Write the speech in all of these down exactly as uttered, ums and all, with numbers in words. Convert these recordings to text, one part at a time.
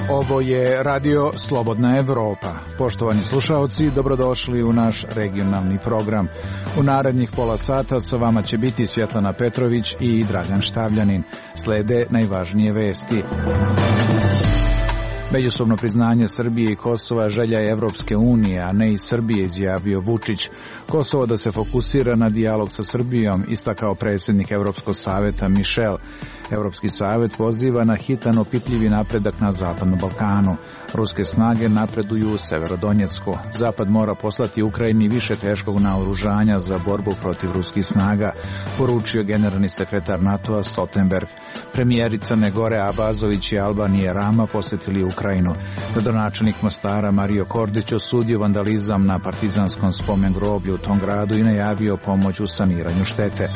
Ovo je Radio Slobodna Evropa. Poštovani slušaoci, dobrodošli u naš regionalni program. U narednih pola sata sa vama će biti Svjetlana Petrović i Dragan Štavljanin. Slede najvažnije vesti. Međusobno priznanje Srbije i Kosova želja je Evropske unije, a ne i Srbije, izjavio Vučić. Kosovo da se fokusira na dijalog sa Srbijom, istakao predsjednik Evropskog saveta Mišel. Evropski savet poziva na hitan opipljivi napredak na Zapadnom Balkanu. Ruske snage napreduju u Severodonjecku. Zapad mora poslati Ukrajini više teškog naoružanja za borbu protiv ruskih snaga, poručio generalni sekretar NATO-a Stoltenberg. Premijeri Crne Gore Abazović i Albanije Rama posjetili Ukrajinu. Gradonačelnik Mostara Mario Kordić osudio vandalizam na partizanskom spomen groblju u tom gradu i najavio pomoć u saniranju štete.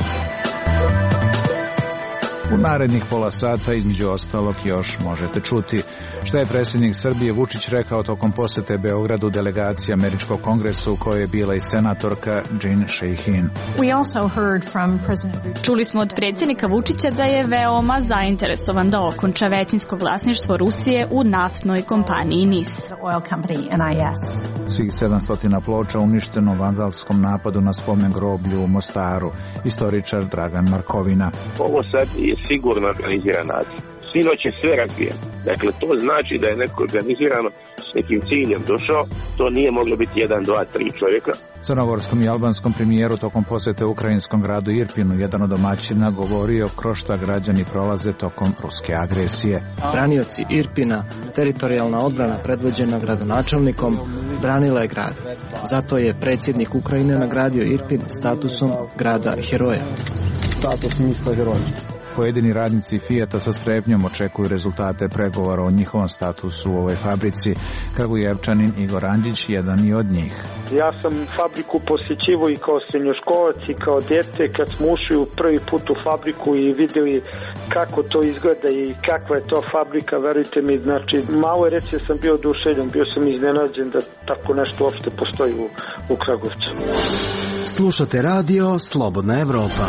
U narednih pola sata, između ostalog, još možete čuti šta je predsjednik Srbije Vučić rekao tokom posjete Beogradu delegaciji Američkog kongresa u kojoj je bila i senatorka Jean Shaheen. Čuli smo od predsjednika Vučića da je veoma zainteresovan da okonča većinsko vlasništvo Rusije u naftnoj kompaniji N I S. Svih sedamsto ploča uništeno u vandalskom napadu na spomen groblju u Mostaru. Istoričar Dragan Markovina. Ovo sad je sigurno organiziran način. Sinoć je sve razbijeno. Dakle, to znači da je neko organizirano s nekim ciljem došao. To nije moglo biti jedan, dva, tri čovjeka. Crnogorskom i albanskom premijeru tokom posjete ukrajinskom gradu Irpinu jedan od domaćina govorio kroz šta građani prolaze tokom ruske agresije. Branioci Irpina, teritorijalna odbrana predvođena gradonačelnikom, branila je grad. Zato je predsjednik Ukrajine nagradio Irpin statusom grada heroja. Status mjesta heroja. Pojedini radnici Fijata sa strepnjom očekuju rezultate pregovora o njihovom statusu u ovoj fabrici. Kragujevčanin Igor Andžić jedan i od njih. Ja sam fabriku posjećivao i kao srednjoškolac i kao dete kad smo ušli u prvi put u fabriku i vidjeli kako to izgleda i kakva je to fabrika, verujte mi, znači malo je reći sam bio oduševljen, bio sam iznenađen da tako nešto uopšte postoji u, u Kragujevcu. Slušate radio Slobodna Evropa.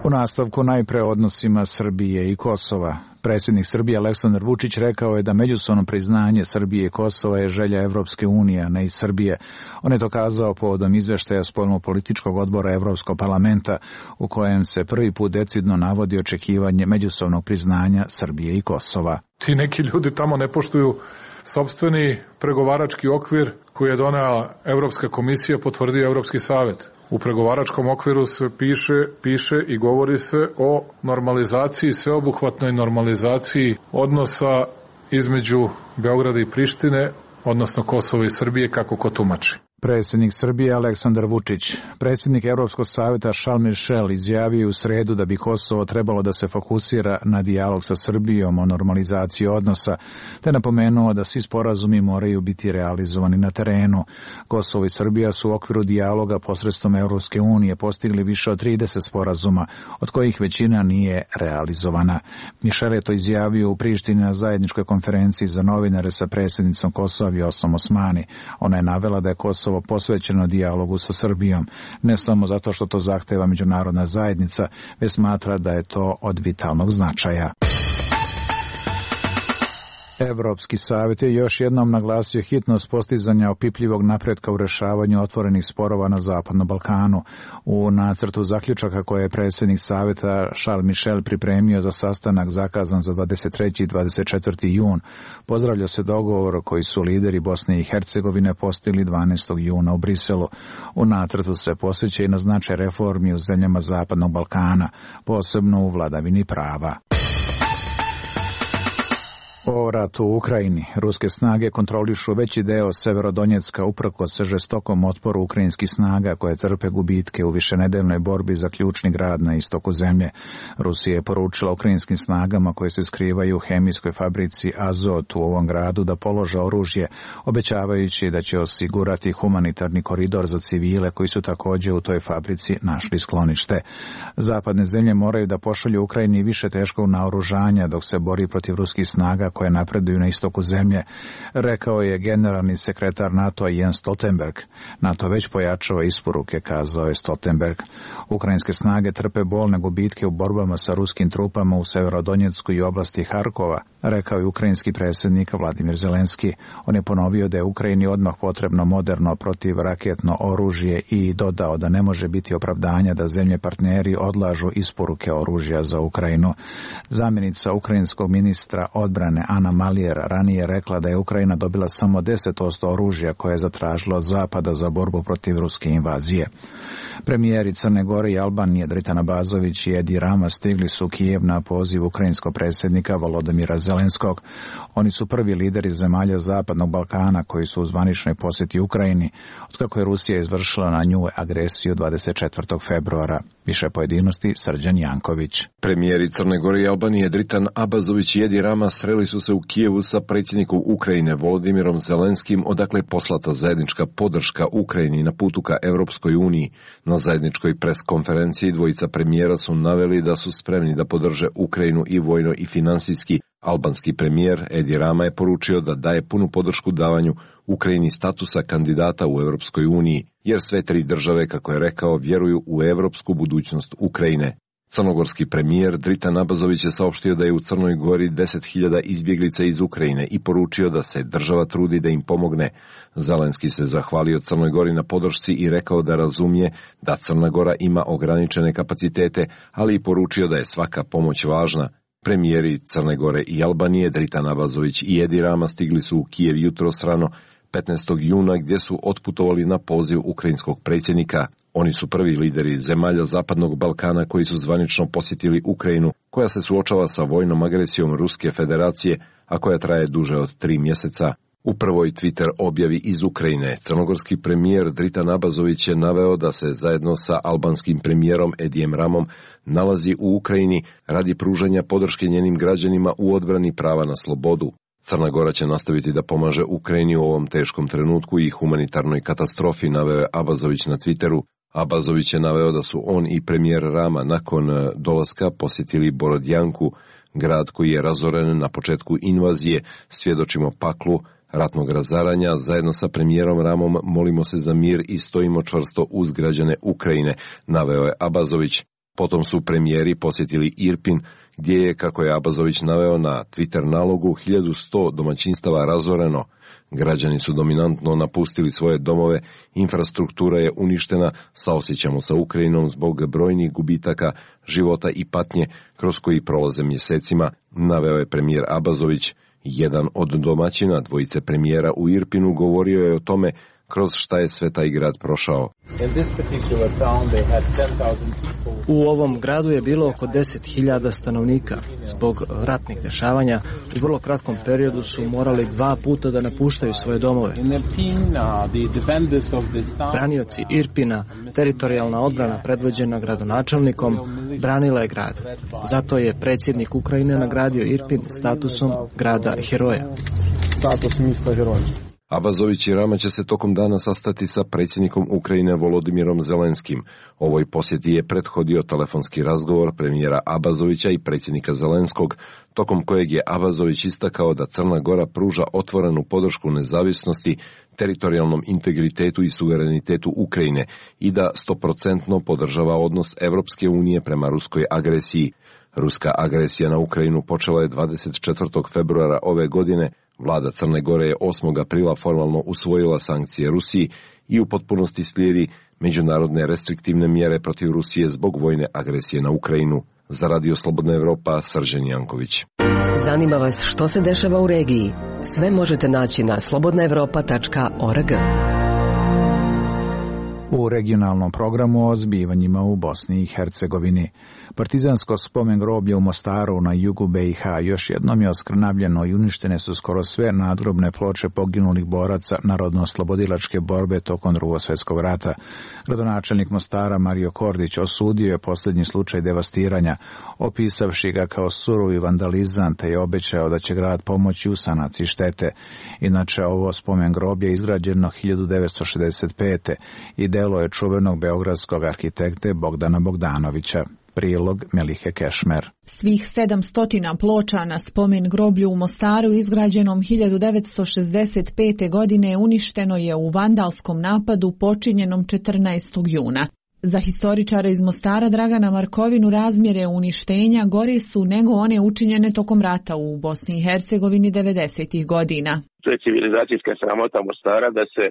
U nastavku najpre odnosima Srbije i Kosova. Predsjednik Srbije Aleksandar Vučić rekao je da međusobno priznanje Srbije i Kosova je želja Evropske unije, a ne i Srbije. On je to kazao povodom izveštaja spoljnopolitičkog odbora Evropskog parlamenta u kojem se prvi put decidno navodi očekivanje međusobnog priznanja Srbije i Kosova. Ti neki ljudi tamo ne poštuju sopstveni pregovarački okvir koji je donela Evropska komisija, potvrdio Evropski savet. U pregovaračkom okviru se piše, piše i govori se o normalizaciji, sveobuhvatnoj normalizaciji odnosa između Beograda i Prištine, odnosno Kosova i Srbije, kako ko tumači. Predsjednik Srbije Aleksandar Vučić. Predsjednik Evropskog saveta Charles Michel izjavio u sredu da bi Kosovo trebalo da se fokusira na dijalog sa Srbijom o normalizaciji odnosa, te napomenuo da svi sporazumi moraju biti realizovani na terenu. Kosovo i Srbija su u okviru dijaloga posredstvom Evropske unije postigli više od trideset sporazuma, od kojih većina nije realizovana. Michel je to izjavio u Prištini na zajedničkoj konferenciji za novinare sa predsjednicom Kosova Vjosom Osmani. Ona je navela da je Kosovo posvećeno dijalogu sa Srbijom, ne samo zato što to zahteva međunarodna zajednica, već smatra da je to od vitalnog značaja. Evropski savjet je još jednom naglasio hitnost postizanja opipljivog napretka u rješavanju otvorenih sporova na Zapadnom Balkanu. U nacrtu zaključaka koje je predsjednik savjeta Charles Michel pripremio za sastanak zakazan za dvadeset treći i dvadeset četvrti jun, pozdravlja se dogovor koji su lideri Bosne i Hercegovine postigli dvanaestog juna u Briselu. U nacrtu se posveća i na značaj reformi u zemljama Zapadnog Balkana, posebno u vladavini prava. O ratu u Ukrajini. Ruske snage kontrolišu veći deo Severodonjecka uprkos žestokom otporu ukrajinskih snaga koje trpe gubitke u višenedeljnoj borbi za ključni grad na istoku zemlje. Rusija je poručila ukrajinskim snagama koje se skrivaju u hemijskoj fabrici Azot u ovom gradu da polože oružje, obećavajući da će osigurati humanitarni koridor za civile koji su također u toj fabrici našli sklonište. Zapadne zemlje moraju da pošalju Ukrajini više teškog naoružanja dok se bori protiv ruskih snaga koje napreduju na istoku zemlje, rekao je generalni sekretar NATO-a Jens Stoltenberg. NATO već pojačava isporuke, kazao je Stoltenberg. Ukrajinske snage trpe bolne gubitke u borbama sa ruskim trupama u Severodonjecku i oblasti Harkova, rekao je ukrajinski predsjednik Vladimir Zelenski. On je ponovio da je Ukrajini odmah potrebno moderno protivraketno oružje i dodao da ne može biti opravdanja da zemlje partneri odlažu isporuke oružja za Ukrajinu. Zamjenica ukrajinskog ministra odbrane Ana Malijer ranije rekla da je Ukrajina dobila samo deset posto oružja koje je zatražila od Zapada za borbu protiv ruske invazije. Premijeri Crne Gore i Albanije Dritan Abazović i Edi Rama stigli su u Kijev na poziv ukrajinskog predsjednika Volodymyra Zelenskog. Oni su prvi lideri zemalja Zapadnog Balkana koji su u zvaničnoj posjeti Ukrajini, otkako je Rusija izvršila na nju agresiju dvadeset četvrtog februara. Više pojedinosti Srđan Janković. Premijeri Crne Gore i Albanije Dritan Abazović i Edi Rama sreli su se u Kijevu sa predsjednikom Ukrajine Volodymyrom Zelenskim, odakle poslata zajednička podrška Ukrajini na putu ka Europskoj uniji. Na zajedničkoj pres konferenciji dvojica premijera su naveli da su spremni da podrže Ukrajinu i vojno i finansijski. Albanski premijer Edi Rama je poručio da daje punu podršku davanju Ukrajini statusa kandidata u Europskoj uniji, jer sve tri države, kako je rekao, vjeruju u europsku budućnost Ukrajine. Crnogorski premijer Dritan Abazović je saopštio da je u Crnoj Gori deset hiljada izbjeglica iz Ukrajine i poručio da se država trudi da im pomogne. Zelenski se zahvalio Crnoj Gori na podršci i rekao da razumije da Crna Gora ima ograničene kapacitete, ali i poručio da je svaka pomoć važna. Premijeri Crne Gore i Albanije Dritan Abazović i Edi Rama stigli su u Kijev jutros rano petnaestog juna gdje su otputovali na poziv ukrajinskog predsjednika. Oni su prvi lideri zemalja Zapadnog Balkana koji su zvanično posjetili Ukrajinu, koja se suočava sa vojnom agresijom Ruske federacije, a koja traje duže od tri mjeseca. U prvoj Twitter objavi iz Ukrajine, crnogorski premijer Dritan Abazović je naveo da se zajedno sa albanskim premijerom Edijem Ramom nalazi u Ukrajini radi pružanja podrške njenim građanima u odbrani prava na slobodu. Crna Gora će nastaviti da pomaže Ukrajini u ovom teškom trenutku i humanitarnoj katastrofi, naveo je Abazović na Twitteru. Abazović je naveo da su on i premijer Rama nakon dolaska posjetili Borodjanku, grad koji je razoren na početku invazije. Svjedočimo paklu ratnog razaranja. Zajedno sa premijerom Ramom molimo se za mir i stojimo čvrsto uz građane Ukrajine, naveo je Abazović. Potom su premijeri posjetili Irpin, gdje je, kako je Abazović naveo na Twitter nalogu, hiljadu sto domaćinstava razoreno. Građani su dominantno napustili svoje domove, infrastruktura je uništena, saosjećamo sa Ukrajinom zbog brojnih gubitaka, života i patnje kroz koji prolaze mjesecima, naveo je premijer Abazović. Jedan od domaćina dvojice premijera u Irpinu govorio je o tome kroz šta je sve taj grad prošao. U ovom gradu je bilo oko deset hiljada stanovnika. Zbog ratnih dešavanja u vrlo kratkom periodu su morali dva puta da napuštaju svoje domove. Branioci Irpina, teritorijalna odbrana predvođena gradonačelnikom, branila je grad. Zato je predsjednik Ukrajine nagradio Irpin statusom grada heroja. Status mjesta heroja. Abazović i Rama će se tokom dana sastati sa predsjednikom Ukrajine Volodymyrom Zelenskim. Ovoj posjeti je prethodio telefonski razgovor premijera Abazovića i predsjednika Zelenskog, tokom kojeg je Abazović istakao da Crna Gora pruža otvorenu podršku nezavisnosti, teritorijalnom integritetu i suverenitetu Ukrajine i da stoprocentno podržava odnos Evropske unije prema ruskoj agresiji. Ruska agresija na Ukrajinu počela je dvadeset četvrtog februara ove godine. Vlada Crne Gore je osmog aprila formalno usvojila sankcije Rusiji i u potpunosti slijedi međunarodne restriktivne mjere protiv Rusije zbog vojne agresije na Ukrajinu. Za Radio Slobodna Evropa, Srđan Janković. Zanima vas što se dešava u regiji? Sve možete naći na slobodna evropa tačka org. U regionalnom programu o zbivanjima u Bosni i Hercegovini. Partizansko spomen groblje u Mostaru na jugu B i H još jednom je oskrnavljeno i uništene su skoro sve nadgrobne ploče poginulih boraca narodno-oslobodilačke borbe tokom Drugog svjetskog rata. Gradonačelnik Mostara Mario Kordić osudio je posljednji slučaj devastiranja, opisavši ga kao surovi vandalizam, te je obećao da će grad pomoći u sanaciji štete. Inače, ovo spomen groblje je izgrađeno hiljadu devetsto šezdeset pete i delo je čuvenog beogradskog arhitekte Bogdana Bogdanovića. Prilog Melihe Kešmer. Svih sedamsto ploča na spomen groblju u Mostaru izgrađenom hiljadu devetsto šezdeset pete. godine uništeno je u vandalskom napadu počinjenom četrnaestog juna. Za historičara iz Mostara Dragana Markovinu razmjere uništenja gore su nego one učinjene tokom rata u Bosni i Hercegovini devedesetih godina. To je civilizacijska sramota Mostara da se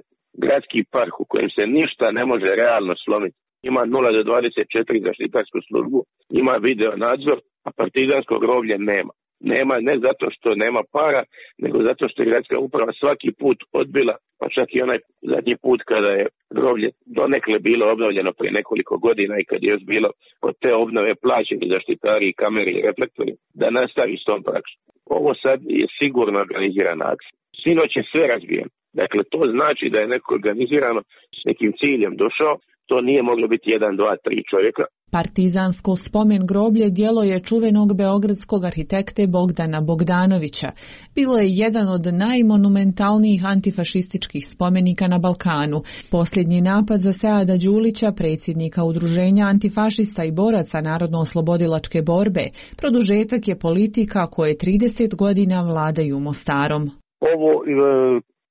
gradski park u kojem se ništa ne može realno slomiti. Ima nula do dvadeset četiri zaštitarsku službu, ima video nadzor, a partizansko groblje nema. Nema ne zato što nema para, nego zato što je gradska uprava svaki put odbila, pa čak i onaj zadnji put kada je groblje donekle bilo obnovljeno prije nekoliko godina i kad je još bilo od te obnove plaćeni zaštitari i kamere i reflektori, da nastavi s tom praksom. Ovo sad je sigurno organizirana akcija. Sinoć je sve razbijeno. Dakle, to znači da je neko organizirano s nekim ciljem došao, to nije moglo biti jedan, dva, tri čovjeka. Partizansko spomen groblje djelo je čuvenog beogradskog arhitekte Bogdana Bogdanovića. Bilo je jedan od najmonumentalnijih antifašističkih spomenika na Balkanu. Posljednji napad za Seada Đulića, predsjednika udruženja antifašista i boraca narodno-oslobodilačke borbe, produžetak je politika koje trideset godina vladaju Mostarom. Ovo e,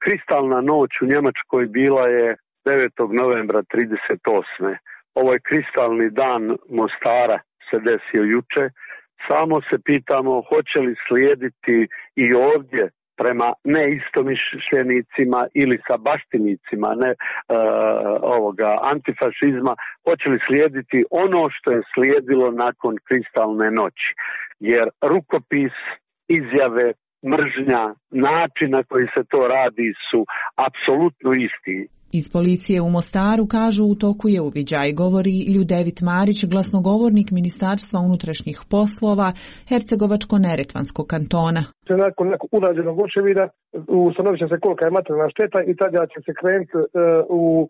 kristalna noć u Njemačkoj bila je devetog novembra trideset osme. Ovaj kristalni dan Mostara se desio juče. Samo se pitamo hoće li slijediti i ovdje prema neistomišljenicima ili sa baštinicima ne, uh, ovoga antifašizma, hoće li slijediti ono što je slijedilo nakon kristalne noći. Jer rukopis, izjave, mržnja, način na koji se to radi su apsolutno isti. Iz policije u Mostaru kažu u toku je uviđaj, govori Ljudevit Marić, glasnogovornik Ministarstva unutrašnjih poslova Hercegovačko-Neretvanskog kantona. Nakon nekog urađenog očevida ustanovit će se kolika je materijalna šteta i tada će se krenuti uh, u uh,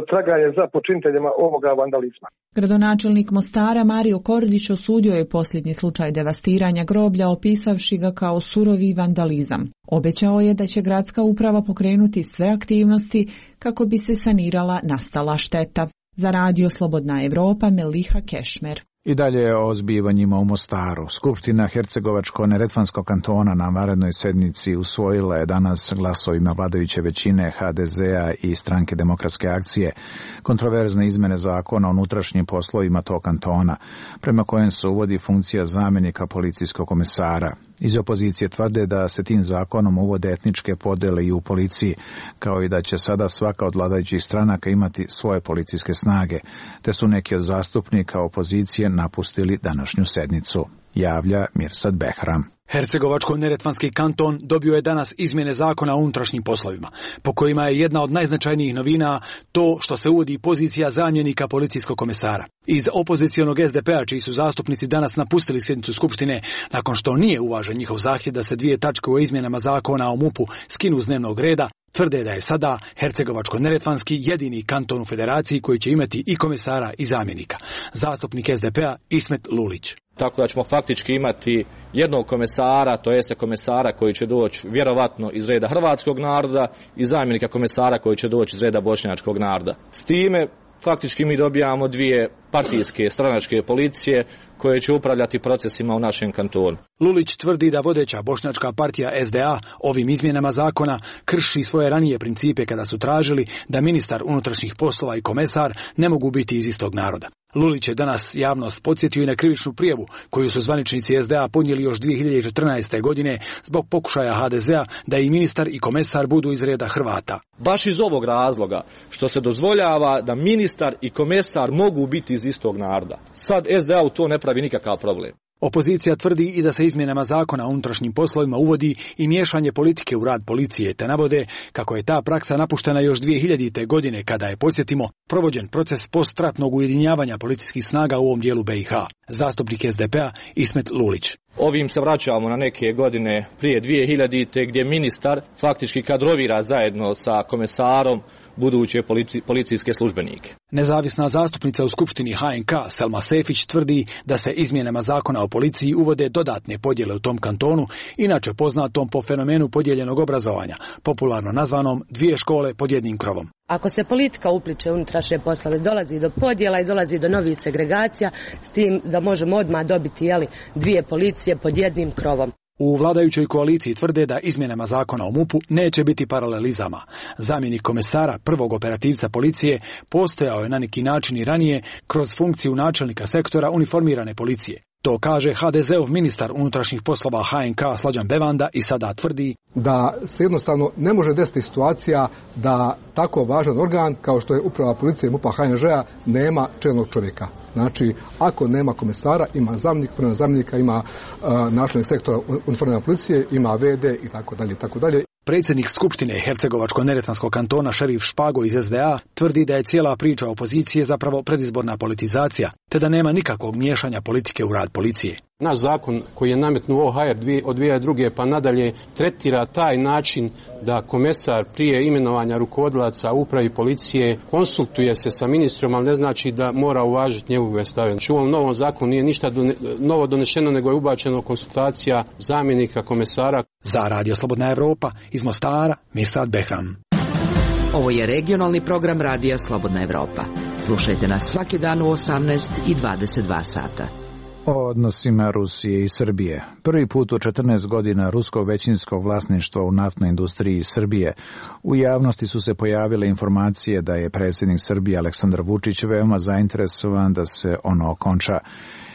traganje za počiniteljima ovoga vandalizma. Gradonačelnik Mostara Mario Kordić osudio je posljednji slučaj devastiranja groblja, opisavši ga kao surovi vandalizam. Obećao je da će gradska uprava pokrenuti sve aktivnosti kako bi se sanirala nastala šteta. Za Radio Slobodna Evropa, Meliha Kešmer. I dalje o zbivanjima u Mostaru. Skupština Hercegovačko-Neretvanskog kantona na vanrednoj sednici usvojila je danas glasovima vladajuće većine ha de zea i Stranke demokratske akcije kontroverzne izmene zakona o unutrašnjim poslovima tog kantona, prema kojem se uvodi funkcija zamjenika policijskog komesara. Iz opozicije tvrde da se tim zakonom uvode etničke podjele i u policiji, kao i da će sada svaka od vladajućih stranaka imati svoje policijske snage, te su neki od zastupnika opozicije napustili današnju sednicu, javlja Mirsad Behram. Hercegovačko-Neretvanski kanton dobio je danas izmjene zakona o unutrašnjim poslovima, po kojima je jedna od najznačajnijih novina to što se uvodi pozicija zamjenika policijskog komesara. Iz opozicionog es de pe a, čiji su zastupnici danas napustili sjednicu Skupštine nakon što nije uvažen njihov zahtjev da se dvije tačke o izmjenama zakona o mupu skinu s dnevnog reda, tvrde da je sada Hercegovačko-Neretvanski jedini kanton u federaciji koji će imati i komesara i zamjenika. Zastupnik es de pe a Ismet Lulić. Tako da ćemo faktički imati jednog komesara, to jeste komesara koji će doći vjerovatno iz reda hrvatskog naroda i zamjenika komesara koji će doći iz reda bošnjačkog naroda. S time faktički mi dobijamo dvije partijske stranačke policije koje će upravljati procesima u našem kantonu. Lulić tvrdi da vodeća bošnjačka partija es de a ovim izmjenama zakona krši svoje ranije principe kada su tražili da ministar unutrašnjih poslova i komesar ne mogu biti iz istog naroda. Lulić je danas javnost podsjetio i na krivičnu prijavu koju su zvaničnici es de a podnijeli još dvije hiljade četrnaeste. godine zbog pokušaja ha de zea da i ministar i komesar budu iz reda Hrvata. Baš iz ovog razloga što se dozvoljava da ministar i komesar mogu biti iz istog naroda. Sad es de a u to ne pravi nikakav problem. Opozicija tvrdi i da se izmjenama zakona o unutrašnjim poslovima uvodi i miješanje politike u rad policije, te navode kako je ta praksa napuštena još dvije hiljadite. godine kada je, podsjetimo, provođen proces postratnog ujedinjavanja policijskih snaga u ovom dijelu be i ha. Zastupnik es de pe a Ismet Lulić. Ovim se vraćamo na neke godine prije dvije hiljadite. gdje ministar faktički kadrovira zajedno sa komesarom buduće polici, policijske službenike. Nezavisna zastupnica u Skupštini ha en ka Selma Sefić tvrdi da se izmjenama zakona o policiji uvode dodatne podjele u tom kantonu, inače poznatom po fenomenu podijeljenog obrazovanja, popularno nazvanom dvije škole pod jednim krovom. Ako se politika upliče u unutrašnje poslove, dolazi do podjela i dolazi do novih segregacija, s tim da možemo odmah dobiti jeli, dvije policije pod jednim krovom. U vladajućoj koaliciji tvrde da izmjenama zakona o MUP-u neće biti paralelizama. Zamjenik komesara, prvog operativca policije, postojao je na neki način i ranije kroz funkciju načelnika sektora uniformirane policije. To kaže ha de zeov ministar unutrašnjih poslova ha en ka Slađan Bevanda i sada tvrdi da se jednostavno ne može desiti situacija da tako važan organ kao što je uprava policije MUP-a ha en žea nema čelnog čovjeka. Znači, ako nema komesara, ima zamjenik, prema zamjenika ima uh, načelnik sektora uniformirane policije, ima ve de i tako dalje, tako dalje. Predsjednik Skupštine Hercegovačko-neretvanskog kantona Šerif Špago iz es de a tvrdi da je cijela priča opozicije zapravo predizborna politizacija, te da nema nikakvog miješanja politike u rad policije. Naš zakon koji je nametnuo o ha er od dvije tisuće druge pa nadalje tretira taj način da komesar prije imenovanja rukovodilaca upravi policije konsultuje se sa ministrom, ali ne znači da mora uvažiti njegove stave. U ovom novom zakonu nije ništa novo donešeno, nego je ubačeno konsultacija zamjenika komesara. Za Radio Slobodna Evropa iz Mostara, Mirsad Behram. Ovo je regionalni program Radija Slobodna Evropa. Slušajte nas svaki dan u osamnaest i dvadeset dva sata. O odnosima Rusije i Srbije. Prvi put u četrnaest godina ruskog većinskog vlasništva u naftnoj industriji Srbije. U javnosti su se pojavile informacije da je predsjednik Srbije Aleksandar Vučić veoma zainteresovan da se ono okonča.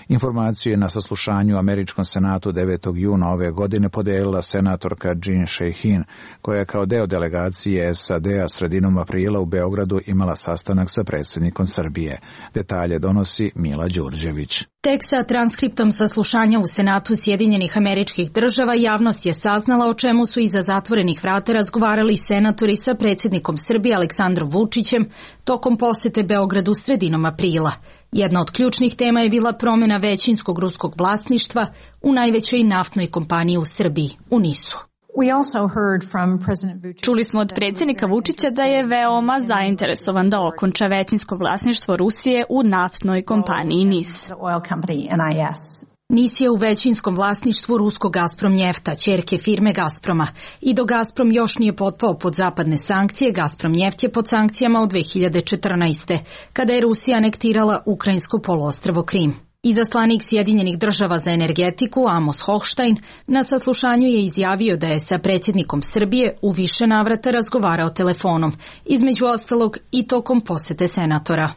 Informaciju je na saslušanju u Američkom senatu devetog juna ove godine podelila senatorka Jean Shaheen, koja je kao deo delegacije es a de a sredinom aprila u Beogradu imala sastanak sa predsjednikom Srbije. Detalje donosi Mila Đurđević. Tek sa transkriptom saslušanja u Senatu Sjedinjenih Američkih Država javnost je saznala o čemu su iza zatvorenih vrata razgovarali senatori sa predsjednikom Srbije Aleksandrom Vučićem tokom posete Beogradu sredinom aprila. Jedna od ključnih tema je bila promjena većinskog ruskog vlasništva u najvećoj naftnoj kompaniji u Srbiji, u nisu. Čuli smo od predsjednika Vučića da je veoma zainteresovan da okonča većinsko vlasništvo Rusije u naftnoj kompaniji nis. nis je u većinskom vlasništvu ruskog Gazprom Njefta, ćerke firme Gazproma. I dok Gazprom još nije potpao pod zapadne sankcije, Gazprom Njeft je pod sankcijama od dve hiljade četrnaeste. kada je Rusija anektirala ukrajinsko poluostrvo Krim. Izaslanik Sjedinjenih Država za energetiku Amos Hochstein na saslušanju je izjavio da je sa predsjednikom Srbije u više navrata razgovarao telefonom, između ostalog i tokom posete senatora.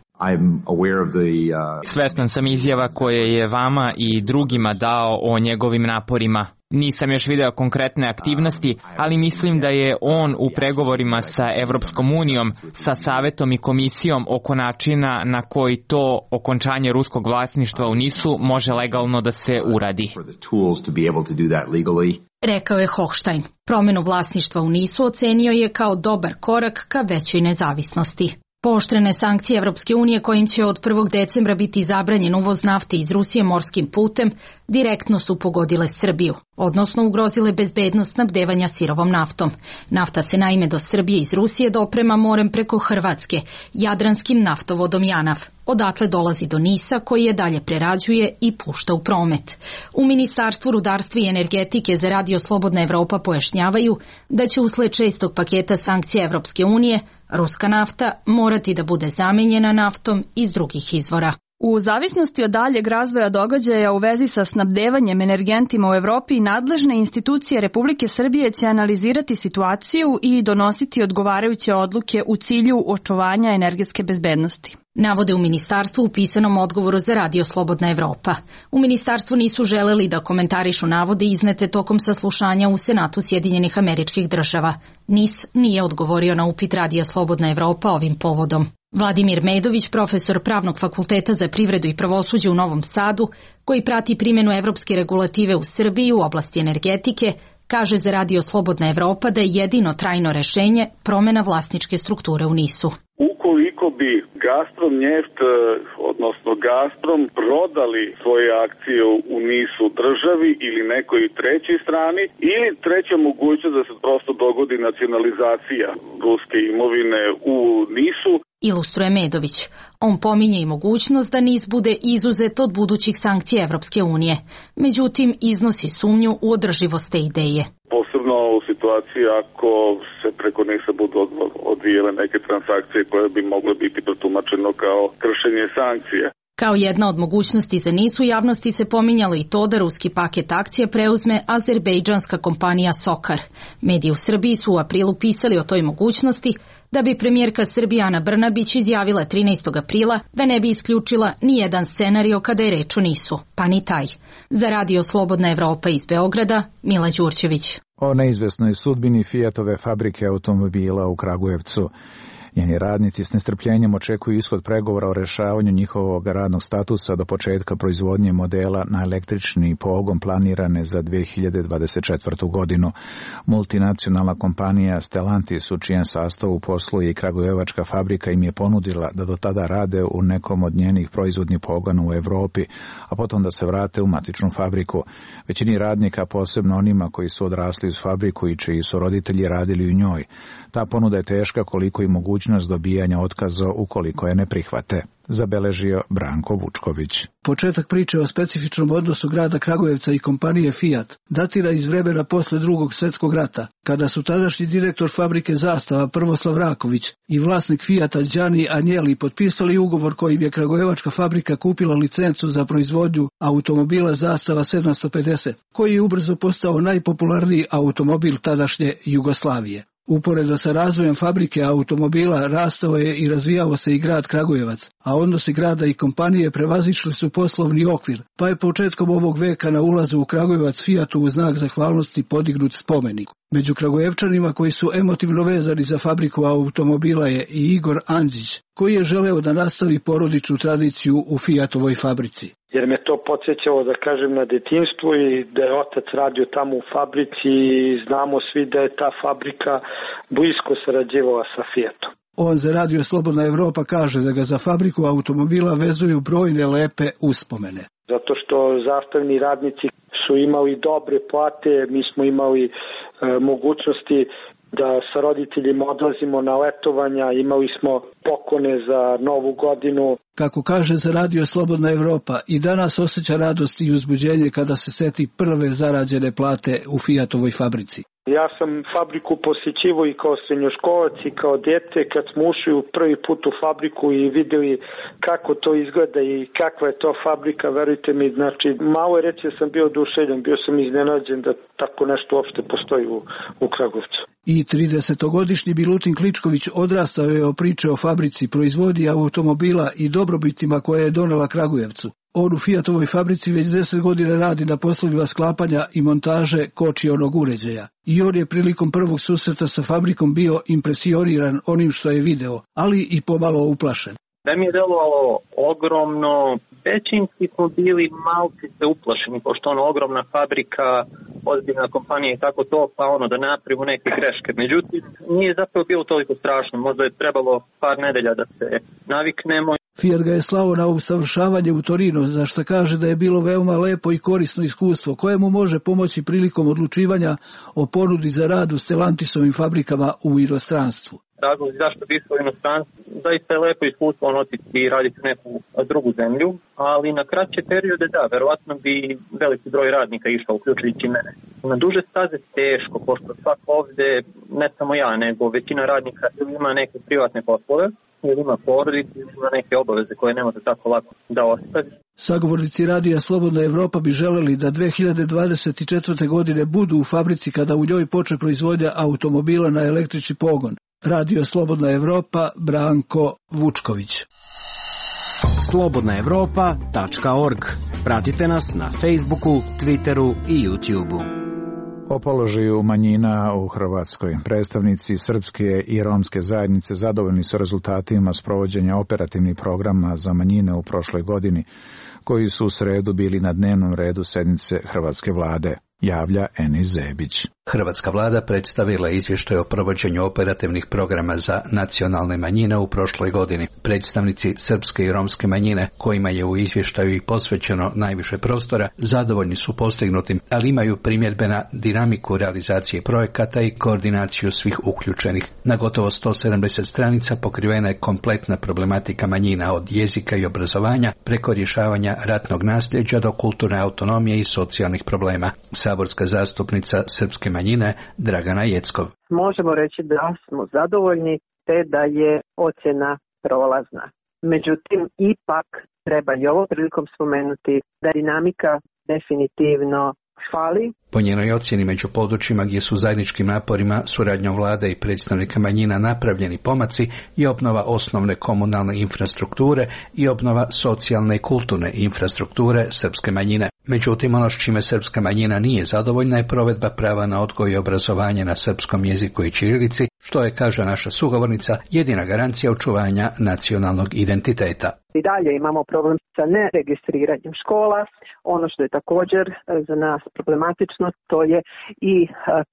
Svestan sam izjava koje je vama i drugima dao o njegovim naporima. Nisam još video konkretne aktivnosti, ali mislim da je on u pregovorima sa Evropskom unijom, sa Savetom i Komisijom oko načina na koji to okončanje ruskog vlasništva u nisu može legalno da se uradi. Rekao je Hochstein. Promjenu vlasništva u nisu ocenio je kao dobar korak ka većoj nezavisnosti. Pooštrene sankcije Evropske unije kojim će od prvog decembra biti zabranjen uvoz nafte iz Rusije morskim putem direktno su pogodile Srbiju, odnosno ugrozile bezbednost snabdevanja sirovom naftom. Nafta se naime do Srbije iz Rusije doprema morem preko Hrvatske, jadranskim naftovodom Janav. Odatle dolazi do Nisa koji je dalje prerađuje i pušta u promet. U Ministarstvu rudarstva i energetike za Radio Slobodna Evropa pojašnjavaju da će usled šestog paketa sankcija Evropske unije ruska nafta morati da bude zamenjena naftom iz drugih izvora. U zavisnosti od daljeg razvoja događaja u vezi sa snabdevanjem energentima u Evropi, nadležne institucije Republike Srbije će analizirati situaciju i donositi odgovarajuće odluke u cilju očuvanja energetske bezbednosti. Navode u ministarstvu u pisanom odgovoru za Radio Slobodna Evropa. U ministarstvu nisu želeli da komentarišu navode iznete tokom saslušanja u Senatu Sjedinjenih Američkih Država. nis nije odgovorio na upit Radija Slobodna Evropa ovim povodom. Vladimir Medović, profesor Pravnog fakulteta za privredu i pravosuđe u Novom Sadu, koji prati primjenu evropske regulative u Srbiji u oblasti energetike, kaže za Radio Slobodna Evropa da je jedino trajno rešenje promjena vlasničke strukture u nisu. Ukoliko bi Gazprom Njeft, odnosno Gazprom, prodali svoje akcije u nisu državi ili nekoj trećoj strani, ili treća mogućnost da se prosto dogodi nacionalizacija ruske imovine u nisu, ilustruje Medović. On pominje i mogućnost da nis bude izuzet od budućih sankcija Evropske unije. Međutim, iznosi sumnju u održivost te ideje. Posebno u situaciji ako se preko njih se budu odvijele neke transakcije koje bi mogle biti protumačeno kao kršenje sankcije. Kao jedna od mogućnosti za niz u javnosti se pominjalo i to da ruski paket akcija preuzme azerbejdžanska kompanija Sokar. Mediji u Srbiji su u aprilu pisali o toj mogućnosti, da bi premijerka Srbije Ana Brnabić izjavila trinaestog aprila da ne bi isključila ni jedan scenario kada je reč o nisu, pa ni taj. Za Radio Slobodna Evropa iz Beograda, Mila Đurđević. O neizvesnoj sudbini Fiatove fabrike automobila u Kragujevcu. Njeni radnici s nestrpljenjem očekuju ishod pregovora o rešavanju njihovog radnog statusa do početka proizvodnje modela na električni pogon planirane za dve hiljade dvadeset četvrtu. godinu. Multinacionalna kompanija Stellantis, u čijem sastavu posluje i kragujevačka fabrika, im je ponudila da do tada rade u nekom od njenih proizvodnih pogona u Evropi, a potom da se vrate u matičnu fabriku. Većini radnika, posebno onima koji su odrasli uz fabriku i čiji su roditelji radili u njoj, ta ponuda je teška koliko i mogućnost dobijanja otkaza ukoliko je ne prihvate, zabeležio Branko Vučković. Početak priče o specifičnom odnosu grada Kragujevca i kompanije Fiat datira iz vremena posle drugog svjetskog rata, kada su tadašnji direktor fabrike Zastava Prvoslav Raković i vlasnik Fiata Đani Anjeli potpisali ugovor kojim je kragujevačka fabrika kupila licencu za proizvodnju automobila Zastava sedamsto pedeset, koji je ubrzo postao najpopularniji automobil tadašnje Jugoslavije. Uporedo sa razvojem fabrike automobila rastao je i razvijao se i grad Kragujevac, a odnosi grada i kompanije prevazišli su poslovni okvir, pa je početkom ovog veka na ulazu u Kragujevac Fiatu u znak zahvalnosti podignut spomenik. Među Kragujevčanima koji su emotivno vezani za fabriku automobila je i Igor Andžić, koji je želeo da nastavi porodičnu tradiciju u Fiatovoj fabrici. Jer me to podsjećalo, da kažem, na detinjstvo i da je otac radio tamo u fabrici i znamo svi da je ta fabrika blisko sarađivala sa Fiatom. On za Radio Slobodna Evropa kaže da ga za fabriku automobila vezuju brojne lepe uspomene. Zato što zastavni radnici su imali dobre plate, mi smo imali e, mogućnosti da sa roditeljima odlazimo na letovanja, imali smo poklone za novu godinu. Kako kaže za Radio Slobodna Evropa, i danas osjeća radost i uzbuđenje kada se seti prve zarađene plate u Fiatovoj fabrici. Ja sam fabriku posjećivao i kao srednjoškolac i kao dete kad smo ušli u prvi put u fabriku i vidjeli kako to izgleda i kakva je to fabrika, verujte mi, znači malo je reći da sam bio oduševljen, bio sam iznenađen da tako nešto uopšte postoji u, u Kragujevcu. I tridesetogodišnji Milutin Kličković odrastao je o priče o fabrici, proizvodnji automobila i dobrobitima koje je donela Kragujevcu. On u Fiatovoj fabrici već deset godina radi na poslovima sklapanja i montaže kočionog uređaja. I on je prilikom prvog susreta sa fabrikom bio impresioniran onim što je video, ali i pomalo uplašen. Da mi je delovalo ogromno, većinski smo bili malci se uplašeni, pošto ono ogromna fabrika, ozbiljna kompanija i tako to, pa ono da napravimo neke greške. Međutim, nije zapravo bilo toliko strašno, možda je trebalo par nedelja da se naviknemo. Fiat ga je slao na usavršavanje u Torino, za što kaže da je bilo veoma lepo i korisno iskustvo, koje mu može pomoći prilikom odlučivanja o ponudi za rad u Stellantisovim fabrikama u inostranstvu. Razlozi zašto bi išlo u inostranstvo, zaista je lepo iskustvo on otići i raditi u neku drugu zemlju, ali na kraće periode da, verovatno bi veliki broj radnika išao, uključujući mene. Na duže staze teško, pošto svak ovde, ne samo ja, nego većina radnika ima neke privatne poslove, ili ima porodicu, ili ima neke obaveze koje ne može tako lako da ostavi. Sagovornici Radija Slobodna Evropa bi želeli da dve hiljade dvadeset četvrte. godine budu u fabrici kada u njoj počne proizvodnja automobila na električni pogon. Radio Slobodna Evropa, Branko Vučković. slobodna evropa tačka org. Pratite nas na Facebooku, Twitteru i YouTubeu. O položaju manjina u Hrvatskoj. Predstavnici srpske i romske zajednice zadovoljni su rezultatima sprovođenja operativnih programa za manjine u prošloj godini, koji su u sredu bili na dnevnom redu sednice Hrvatske vlade, javlja Enis Zebić. Hrvatska vlada predstavila izvještaj o provođenju operativnih programa za nacionalne manjine u prošloj godini. Predstavnici srpske i romske manjine, kojima je u izvještaju i posvećeno najviše prostora, zadovoljni su postignutim, ali imaju primjedbe na dinamiku realizacije projekata i koordinaciju svih uključenih. Na gotovo sto sedamdeset stranica pokrivena je kompletna problematika manjina, od jezika i obrazovanja preko rješavanja ratnog nasljeđa do kulturne autonomije i socijalnih problema. saborska zastupnica srpske manjine Dragana Jeckov. Možemo reći da smo zadovoljni te da je ocjena prolazna. Međutim, ipak treba i ovo prilikom spomenuti da dinamika definitivno fali. Po njenoj ocjeni među područjima gdje su zajedničkim naporima, suradnjom vlade i predstavnika manjina napravljeni pomaci i obnova osnovne komunalne infrastrukture i obnova socijalne i kulturne infrastrukture srpske manjine. Međutim, ono s čime srpska manjina nije zadovoljna je provedba prava na odgoj i obrazovanje na srpskom jeziku i ćirilici, što je, kaže naša sugovornica, jedina garancija očuvanja nacionalnog identiteta. I dalje imamo problem sa neregistriranjem škola. Ono što je također za nas problematično, to je i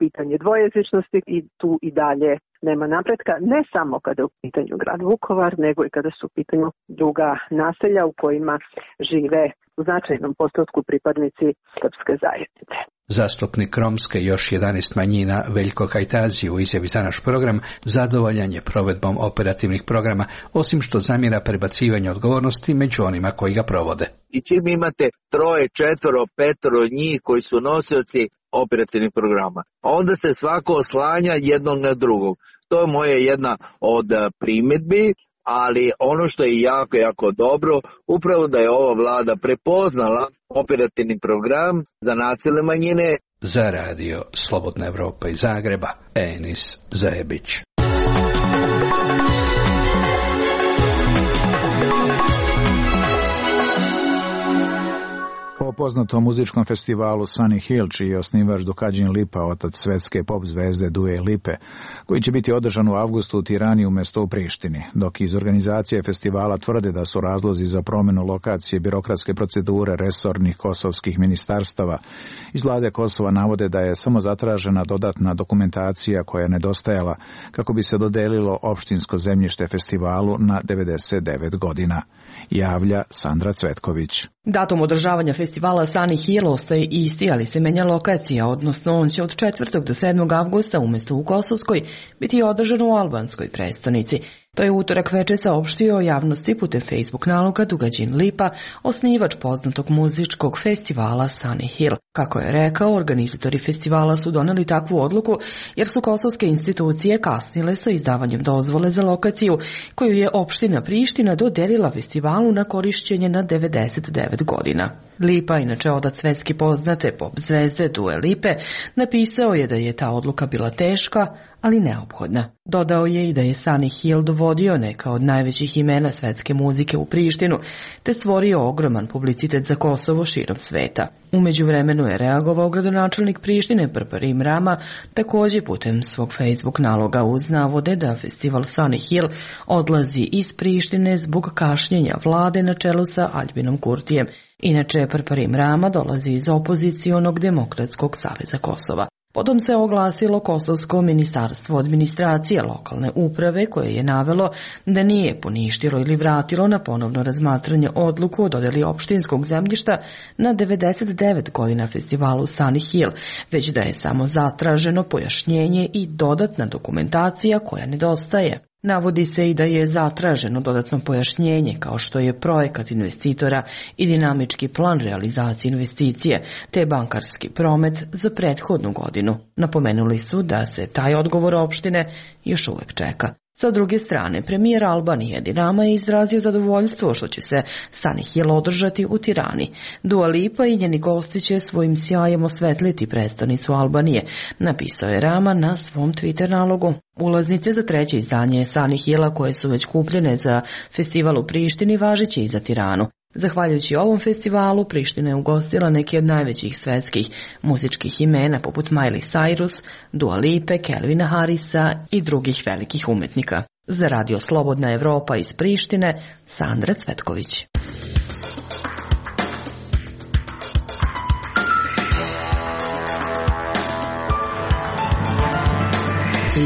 pitanje dvojezičnosti i tu i dalje nema napretka, ne samo kada je u pitanju grad Vukovar, nego i kada su u pitanju druga naselja u kojima žive u značajnom postotku pripadnici srpske zajednice. Zastupnik romske i još jedanaest manjina Veljko Kajtazi u izjavi za naš program zadovoljan je provedbom operativnih programa, osim što zamjera prebacivanje odgovornosti među onima koji ga provode. I čim imate troje, četvoro, petoro njih koji su nosioci operativnih programa, onda se svako oslanja jednog na drugog. To je moja jedna od primjedbi. Ali ono što je jako, jako dobro, upravo da je ova vlada prepoznala operativni program za nacionalne manjine. Za radio Slobodna Evropa iz Zagreba, Enis Zajebić. O poznatom muzičkom festivalu Sunny Hill, čiji je osnivač Dukadžin Lipa, otac svetske pop zvezde Due Lipe, koji će biti održan u avgustu u Tirani umjesto u Prištini, dok iz organizacije festivala tvrde da su razlozi za promjenu lokacije birokratske procedure resornih kosovskih ministarstava. Iz vlade Kosova navode da je samo zatražena dodatna dokumentacija koja je nedostajala kako bi se dodelilo opštinsko zemljište festivalu na devedeset devet godina. Javlja Sandra Cvetković. Datum održavanja festivala Sunny Hill ostaje isti, ali se menja lokacija, odnosno on će od četvrtog do sedmog avgusta umjesto u Kosovskoj biti održan u albanskoj prestonici. To je utorak veče saopštio javnosti putem Facebook naloga Dukadžin Lipa, osnivač poznatog muzičkog festivala Sunny Hill. Kako je rekao, organizatori festivala su doneli takvu odluku jer su kosovske institucije kasnile sa izdavanjem dozvole za lokaciju koju je opština Priština dodelila festivalu na korišćenje na devedeset devet godina. Lipa, inače otac svetski poznate pop zvezde Due Lipe, napisao je da je ta odluka bila teška, ali neophodna. Dodao je i da je Sunny Hill dovodio neka od najvećih imena svetske muzike u Prištinu, te stvorio ogroman publicitet za Kosovo širom sveta. U međuvremenu je reagovao gradonačelnik Prištine Prparim Rama, također putem svog Facebook naloga uz navode da festival Sunny Hill odlazi iz Prištine zbog kašnjenja vlade na čelu sa Aljbinom Kurtijem. Inače, Prparim Rama dolazi iz opozicionog Demokratskog saveza Kosova. Potom se oglasilo Kosovsko ministarstvo administracije lokalne uprave koje je navelo da nije poništilo ili vratilo na ponovno razmatranje odluku o dodjeli opštinskog zemljišta na devedeset devet godina festivalu Sunny Hill, već da je samo zatraženo pojašnjenje i dodatna dokumentacija koja nedostaje. Navodi se i da je zatraženo dodatno pojašnjenje kao što je projekat investitora i dinamički plan realizacije investicije te bankarski promet za prethodnu godinu. Napomenuli su da se taj odgovor opštine još uvijek čeka. Sa druge strane, premijer Albanije Edi Rama je izrazio zadovoljstvo što će se Sunny Hill održati u Tirani. Dua Lipa i njeni gosti će svojim sjajem osvetliti prestonicu Albanije, napisao je Rama na svom Twitter nalogu. Ulaznice za treće izdanje Sunny Hilla koje su već kupljene za festival u Prištini važeće i za Tiranu. Zahvaljujući ovom festivalu, Priština je ugostila neke od najvećih svetskih muzičkih imena poput Miley Cyrus, Dua Lipe, Calvina Harrisa i drugih velikih umetnika. Za radio Slobodna Evropa iz Prištine, Sandra Cvetković.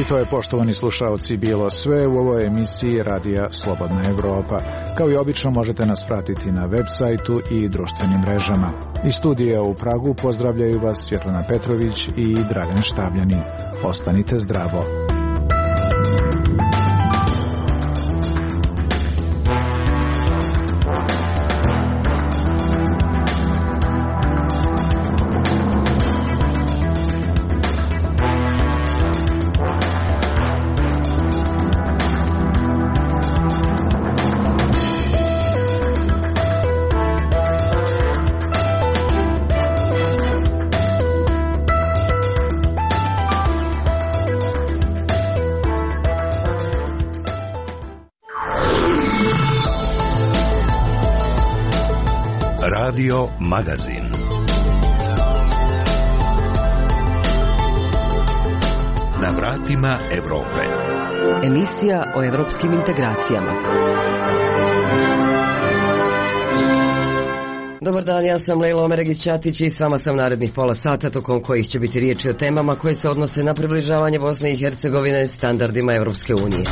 I to je, poštovani slušaoci, bilo sve u ovoj emisiji Radija Slobodna Evropa. Kao i obično možete nas pratiti na web sajtu i društvenim mrežama. Iz studija u Pragu pozdravljaju vas Svjetlana Petrović i Dragan Štabljanin. Ostanite zdravo. Radio Magazin. Na vratima Evrope. Emisija o evropskim integracijama. Dobar dan, ja sam Lejla Omeregić-Ćatić i s vama sam narednih pola sata, tokom kojih će biti riječi o temama koje se odnose na približavanje Bosne i Hercegovine standardima Evropske unije.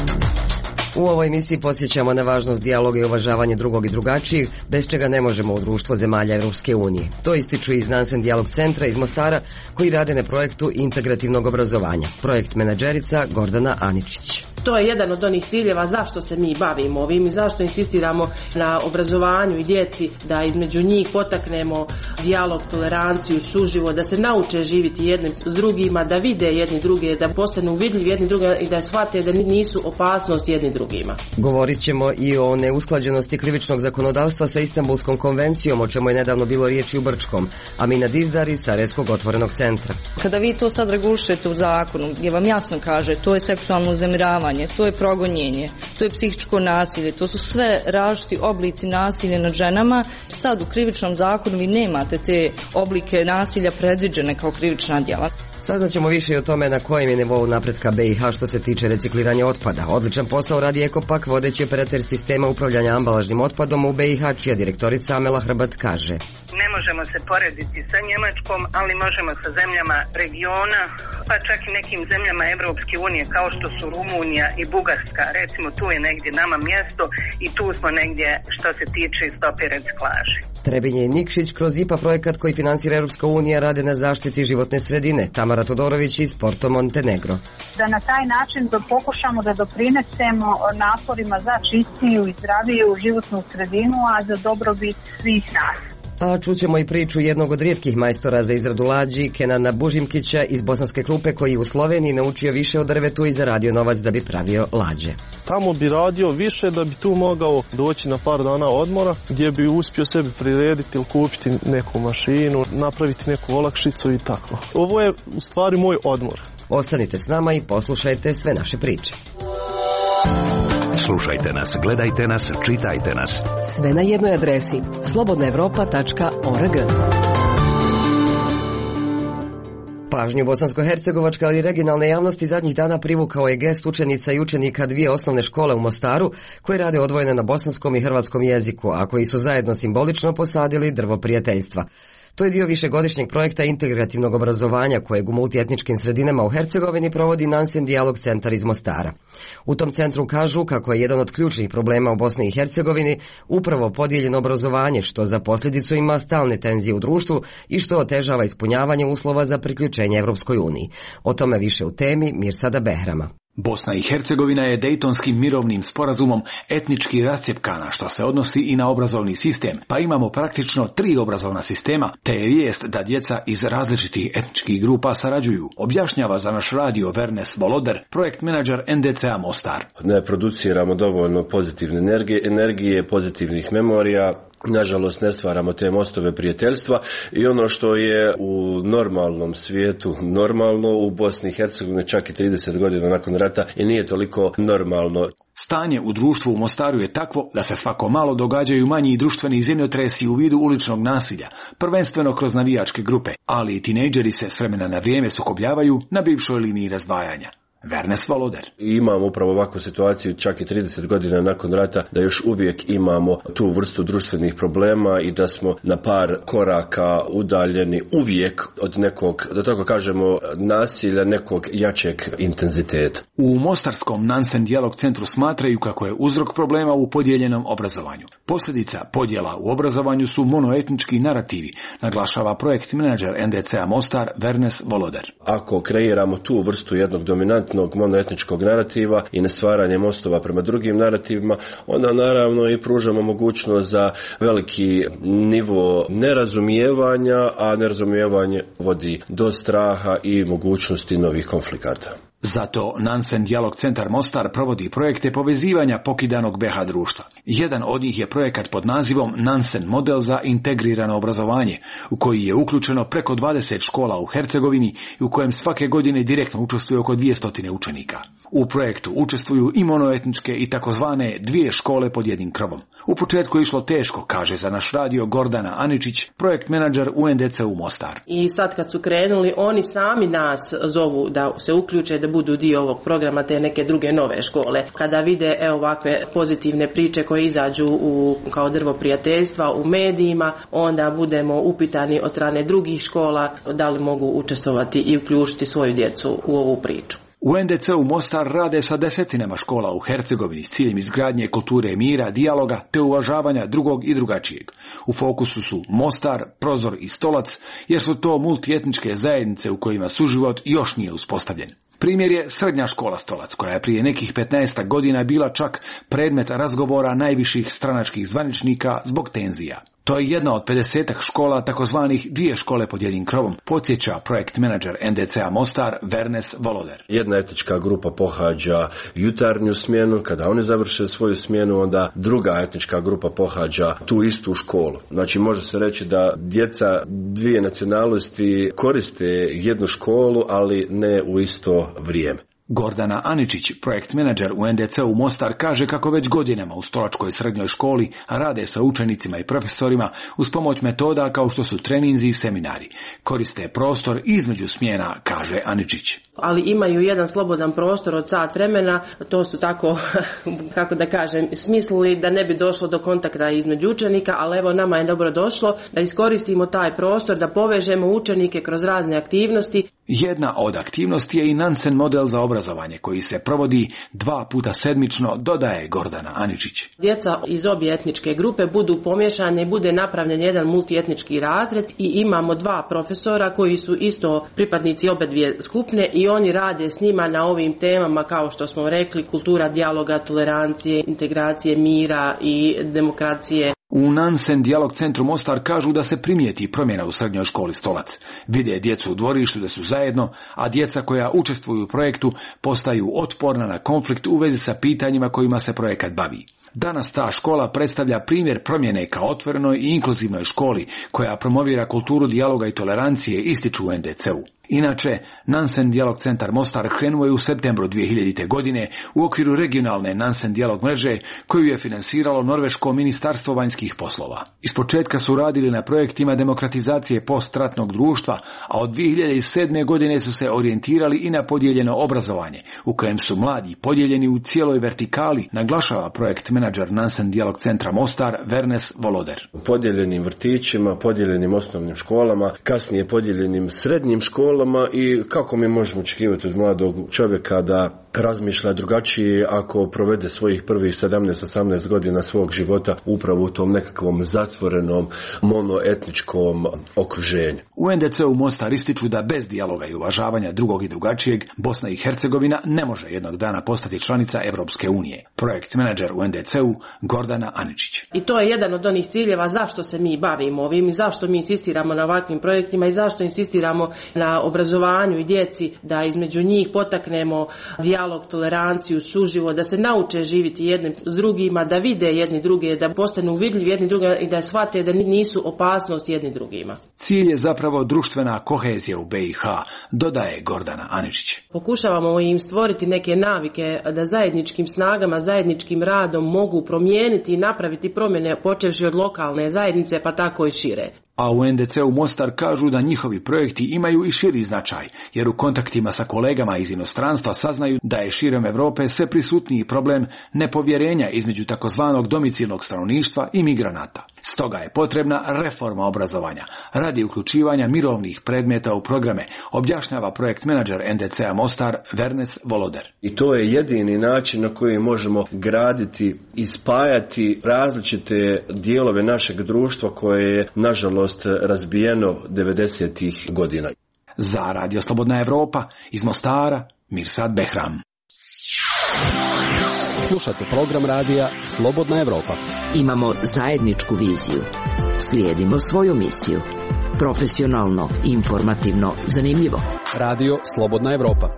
U ovoj emisiji podsjećamo na važnost dijaloga i uvažavanje drugog i drugačijih, bez čega ne možemo u društvo zemalja Evropske unije. To ističu iz Nansen Dijalog centra iz Mostara, koji rade na projektu integrativnog obrazovanja. Projekt menadžerica Gordana Aničić. To je jedan od onih ciljeva zašto se mi bavimo ovim i zašto insistiramo na obrazovanju i djeci, da između njih potaknemo dijalog, toleranciju, suživo, da se nauče živjeti jednim s drugima, da vide jedni druge, da postanu vidljivi jedni drugima i da shvate da nisu opasnost jedni drugima. Govorit ćemo i o neusklađenosti krivičnog zakonodavstva sa Istanbulskom konvencijom, o čemu je nedavno bilo riječi u Brčkom. Amina Dizdar iz Sarajevskog otvorenog centra. Kada vi to sad regulišete u zakonu, gdje vam jasno kaže to je seksualno uznemiravanje, to je progonjenje, to je psihičko nasilje, to su sve različiti oblici nasilja nad ženama. Sad u krivičnom zakonu vi nemate te oblike nasilja predviđene kao krivična djela. Saznaćemo više i o tome na kojem je nivou napretka B i H što se tiče recikliranja otpada. Odličan posao radi Ekopak, vodeći operater sistema upravljanja ambalažnim otpadom u B i H, čija direktorica Amela Hrbat kaže: Ne možemo se porediti sa Njemačkom, ali možemo sa zemljama regiona, pa čak i nekim zemljama Evropske unije kao što su Rumunija i Bugarska. Recimo tu je negdje nama mjesto i tu smo negdje što se tiče stope reciklaže. Trebinje i Nikšić kroz I P A projekat koji finansira Europska unija rade na zaštiti životne sredine. Tamara Todorović iz Porto Montenegro. Da na taj način da pokušamo da doprinesemo naporima za čistiju i zdraviju životnu sredinu, a za dobrobit svih nas. A čućemo i priču jednog od rijetkih majstora za izradu lađi, Kenana Bužimkića iz Bosanske Krupe, koji u Sloveniji naučio više o drvetu i zaradio novac da bi pravio lađe. Tamo bi radio više da bi tu mogao doći na par dana odmora, gdje bi uspio sebi prirediti ili kupiti neku mašinu, napraviti neku olakšicu i tako. Ovo je u stvari moj odmor. Ostanite s nama i poslušajte sve naše priče. Slušajte nas, gledajte nas, čitajte nas. Sve na jednoj adresi slobodna evropa tačka org. Pažnju bosansko-hercegovačke, ali i regionalne javnosti zadnjih dana privukao je gest učenica i učenika dvije osnovne škole u Mostaru, koji rade odvojene na bosanskom i hrvatskom jeziku, a koji su zajedno simbolično posadili drvo prijateljstva. To je dio višegodišnjeg projekta integrativnog obrazovanja kojeg u multietničkim sredinama u Hercegovini provodi Nansen Dijalog centar iz Mostara. U tom centru kažu kako je jedan od ključnih problema u Bosni i Hercegovini upravo podijeljeno obrazovanje, što za posljedicu ima stalne tenzije u društvu i što otežava ispunjavanje uslova za priključenje Evropskoj uniji. O tome više u temi Mirsada Behrama. Bosna i Hercegovina je Dejtonskim mirovnim sporazumom etnički rascjepkana, što se odnosi i na obrazovni sistem, pa imamo praktično tri obrazovna sistema, te je vijest da djeca iz različitih etničkih grupa sarađuju, objašnjava za naš radio Vernes Voloder, projekt menadžer N D C A Mostar. Ne produciramo dovoljno pozitivne energije, energije, pozitivnih memorija. Nažalost, ne stvaramo te mostove prijateljstva i ono što je u normalnom svijetu normalno, u Bosni i Hercegovini čak i trideset godina nakon rata i nije toliko normalno. Stanje u društvu u Mostaru je takvo da se svako malo događaju manji društveni zemljotresi u vidu uličnog nasilja, prvenstveno kroz navijačke grupe, ali i tinejdžeri se s vremena na vrijeme sukobljavaju na bivšoj liniji razdvajanja. Vernes Voloder. Imamo upravo ovakvu situaciju čak i trideset godina nakon rata, da još uvijek imamo tu vrstu društvenih problema i da smo na par koraka udaljeni uvijek od nekog, da tako kažemo, nasilja, nekog jačeg intenziteta. U Mostarskom Nansen Dijalog centru smatraju kako je uzrok problema u podijeljenom obrazovanju. Posljedica podjela u obrazovanju su monoetnički narativi, naglašava projekt menadžer N D C A Mostar Vernes Voloder. Ako kreiramo tu vrstu jednog dominantnog monoetničkog narativa i na stvaranje mostova prema drugim narativima, onda naravno i pružamo mogućnost za veliki nivo nerazumijevanja, a nerazumijevanje vodi do straha i mogućnosti novih konflikata. Zato Nansen Dijalog Centar Mostar provodi projekte povezivanja pokidanog be ha društva. Jedan od njih je projekat pod nazivom Nansen model za integrirano obrazovanje, u koji je uključeno preko dvadeset škola u Hercegovini i u kojem svake godine direktno učestvuje oko dvjesto učenika. U projektu učestvuju i monoetničke i takozvane dvije škole pod jednim krovom. U početku je išlo teško, kaže za naš radio Gordana Aničić, projekt menadžer u en de ce u Mostar. I sad kad su krenuli, oni sami nas zovu da se uključe, da budu dio ovog programa te neke druge nove škole. Kada vide evo ovakve pozitivne priče koje izađu u, kao drvo prijateljstva u medijima, onda budemo upitani od strane drugih škola da li mogu učestvovati i uključiti svoju djecu u ovu priču. U en de ce u Mostar rade sa desetinama škola u Hercegovini s ciljem izgradnje kulture mira, dijaloga te uvažavanja drugog i drugačijeg. U fokusu su Mostar, Prozor i Stolac, jer su to multietničke zajednice u kojima suživot još nije uspostavljen. Primjer je srednja škola Stolac, koja je prije nekih petnaest godina bila čak predmet razgovora najviših stranačkih zvaničnika zbog tenzija. To je jedna od pedesetak škola, takozvanih dvije škole pod jednim krovom, podsjeća projekt menadžer en de ce a Mostar Vernes Voloder. Jedna etnička grupa pohađa jutarnju smjenu, kada oni završe svoju smjenu, onda druga etnička grupa pohađa tu istu školu. Znači može se reći da djeca dvije nacionalnosti koriste jednu školu, ali ne u isto vrijeme. Gordana Aničić, projekt menadžer u en de ce u Mostar, kaže kako već godinama u Stolačkoj srednjoj školi rade sa učenicima i profesorima uz pomoć metoda kao što su treninzi i seminari. Koriste prostor između smjena, kaže Aničić. Ali imaju jedan slobodan prostor od sat vremena, to su tako, kako da kažem, smislili da ne bi došlo do kontakta između učenika, ali evo nama je dobro došlo da iskoristimo taj prostor, da povežemo učenike kroz razne aktivnosti. Jedna od aktivnosti je i Nansen model za obrazovanje koji se provodi dva puta sedmično, dodaje Gordana Aničić. Djeca iz obje etničke grupe budu pomješane i bude napravljen jedan multietnički razred i imamo dva profesora koji su isto pripadnici obe dvije skupine i oni rade s njima na ovim temama kao što smo rekli, kultura dijaloga, tolerancije, integracije, mira i demokracije. U Nansen Dijalog Centru Mostar kažu da se primijeti promjena u srednjoj školi Stolac. Vide djecu u dvorištu da su zajedno, a djeca koja učestvuju u projektu postaju otporna na konflikt u vezi sa pitanjima kojima se projekat bavi. Danas ta škola predstavlja primjer promjene kao otvorenoj i inkluzivnoj školi koja promovira kulturu dijaloga i tolerancije, ističu u en de ce u. Inače, Nansen Dijalog Centar Mostar krenuo je u septembru dvije hiljadite. godine u okviru regionalne Nansen Dijalog mreže koju je finansiralo Norveško ministarstvo vanjskih poslova. Ispočetka su radili na projektima demokratizacije postratnog društva, a od dvije hiljade sedme. godine su se orijentirali i na podijeljeno obrazovanje, u kojem su mladi podijeljeni u cijeloj vertikali, naglašava projekt menadžer Nansen Dijalog Centra Mostar Vernes Voloder. Podijeljenim vrtićima, podijeljenim osnovnim školama, kasnije podijeljenim srednjim školama, i kako mi možemo očekivati od mladog čovjeka da razmišlja drugačije ako provede svojih prvih sedamnaest osamnaest godina svog života upravo u tom nekakvom zatvorenom monoetničkom okruženju. U en de ce u Mostar ističu da bez dijaloga i uvažavanja drugog i drugačijeg Bosna i Hercegovina ne može jednog dana postati članica Evropske unije. Projekt menadžer u en de ce u Gordana Aničić. I to je jedan od onih ciljeva zašto se mi bavimo ovim i zašto mi insistiramo na ovakvim projektima i zašto insistiramo na obrazovanju i djeci, da između njih potaknemo dijalog, toleranciju, suživot, da se nauče živjeti jednim s drugima, da vide jedni druge, da postanu vidljivi jedni drugima i da shvate da nisu opasnost jedni drugima. Cilj je zapravo društvena kohezija u be i ha, dodaje Gordana Aničić. Pokušavamo im stvoriti neke navike da zajedničkim snagama, zajedničkim radom mogu promijeniti i napraviti promjene počevši od lokalne zajednice pa tako i šire. A u en de ce u Mostar kažu da njihovi projekti imaju i širi značaj, jer u kontaktima sa kolegama iz inostranstva saznaju da je širom Europe sve prisutniji problem nepovjerenja između takozvanog domicilnog stanovništva i migranata. Stoga je potrebna reforma obrazovanja radi uključivanja mirovnih predmeta u programe, objašnjava projekt menadžer en de ce a Mostar Vernes Voloder. I to je jedini način na koji možemo graditi i spajati različite dijelove našeg društva koje je, nažalost, razbijeno devedesetih godina. Za Radio Slobodna Evropa iz Mostara, Mirsad Behram. Slušate program radija Slobodna Evropa. Imamo zajedničku viziju. Slijedimo svoju misiju. Profesionalno, informativno, zanimljivo. Radio Slobodna Evropa.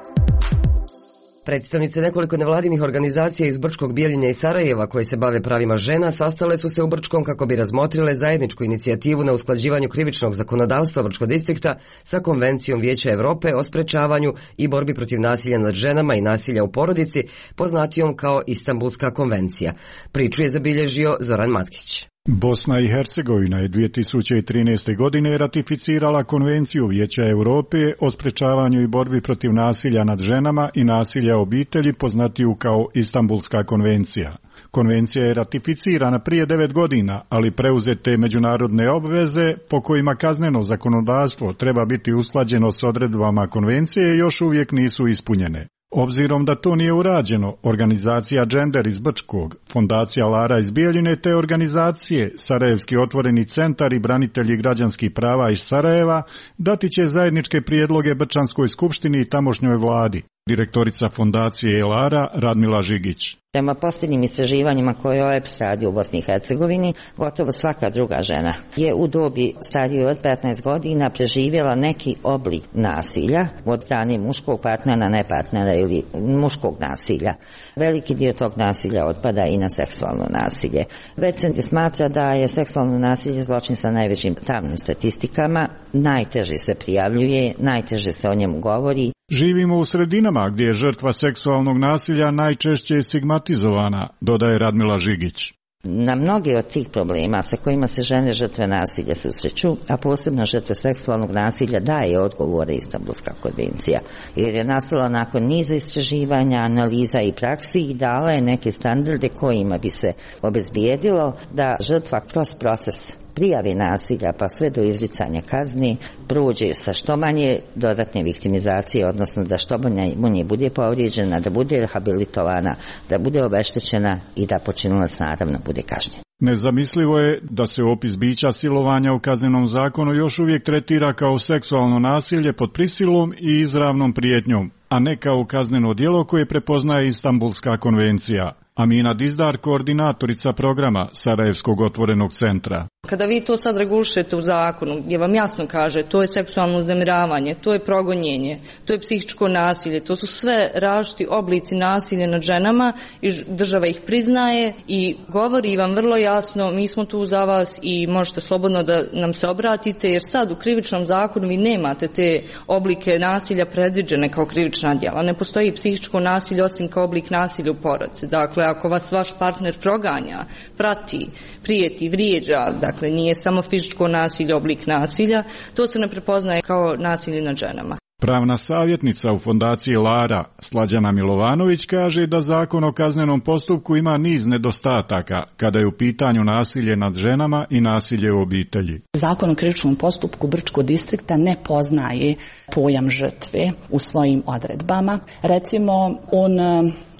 Predstavnice nekoliko nevladinih organizacija iz Brčkog, Bijeljine i Sarajeva koje se bave pravima žena sastale su se u Brčkom kako bi razmotrile zajedničku inicijativu na usklađivanju krivičnog zakonodavstva Brčkog distrikta sa Konvencijom Vijeća Evrope o sprečavanju i borbi protiv nasilja nad ženama i nasilja u porodici, poznatijom kao Istanbulska konvencija. Priču je zabilježio Zoran Matkić. Bosna i Hercegovina je dvije tisuće trinaeste. godine ratificirala Konvenciju Vijeća Europe o sprečavanju i borbi protiv nasilja nad ženama i nasilja u obitelji, poznatiju kao Istanbulska konvencija. Konvencija je ratificirana prije devet godina, ali preuzete međunarodne obveze po kojima kazneno zakonodavstvo treba biti usklađeno s odredbama konvencije još uvijek nisu ispunjene. Obzirom da to nije urađeno, organizacija Gender iz Brčkog, fondacija Lara iz Bijeljine te organizacije Sarajevski otvoreni centar i branitelji građanskih prava iz Sarajeva dati će zajedničke prijedloge Brčanskoj skupštini i tamošnjoj vladi. Direktorica fondacije Lara Radmila Žigić. Prema posljednjim istraživanjima koje O E P S radi u Bosni i Hercegovini, gotovo svaka druga žena je u dobi starijoj od petnaest godina preživjela neki oblik nasilja od strane muškog partnera, ne partnera ili muškog nasilja. Veliki dio tog nasilja otpada i na seksualno nasilje. Već se smatra da je seksualno nasilje zločin sa najvećim tamnim statistikama, najteže se prijavljuje, najteže se o njemu govori. Živimo u sredinama gdje je žrtva seksualnog nasilja najčešće stigmatizovana, dodaje Radmila Žigić. Na mnoge od tih problema sa kojima se žene žrtve nasilja susreću, a posebno žrtve seksualnog nasilja, daje odgovore Istanbulska konvencija, jer je nastala nakon niza istraživanja, analiza i praksi i dala je neke standarde kojima bi se obezbijedilo da žrtva kroz proces prijave nasilja pa sve do izricanja kazni prođe sa što manje dodatne viktimizacije, odnosno da što manje bude povrijeđena, da bude rehabilitovana, da bude obeštećena i da počinilac naravno bude kažnjen. Nezamislivo je da se opis bića silovanja u kaznenom zakonu još uvijek tretira kao seksualno nasilje pod prisilom i izravnom prijetnjom, a ne kao kazneno djelo koje prepoznaje Istanbulska konvencija. Amina Dizdar, koordinatorica programa Sarajevskog otvorenog centra. Kada vi to sad regulišete u zakonu, gdje vam jasno kaže to je seksualno uznemiravanje, to je progonjenje, to je psihičko nasilje, to su sve različiti oblici nasilja nad ženama i država ih priznaje i govori vam vrlo jasno, mi smo tu za vas i možete slobodno da nam se obratite, jer sad u krivičnom zakonu vi nemate te oblike nasilja predviđene kao krivična djela. Ne postoji psihičko nasilje osim kao oblik nasilja u porodici. Dakle, ako vas vaš partner proganja, prati, prijeti, vrijeđa, dakle nije samo fizičko nasilje oblik nasilja, to se ne prepoznaje kao nasilje nad ženama. Pravna savjetnica u fondaciji Lara, Slađana Milovanović, kaže da zakon o kaznenom postupku ima niz nedostataka kada je u pitanju nasilje nad ženama i nasilje u obitelji. Zakon o krivičnom postupku Brčkog distrikta ne poznaje pojam žrtve u svojim odredbama. Recimo, on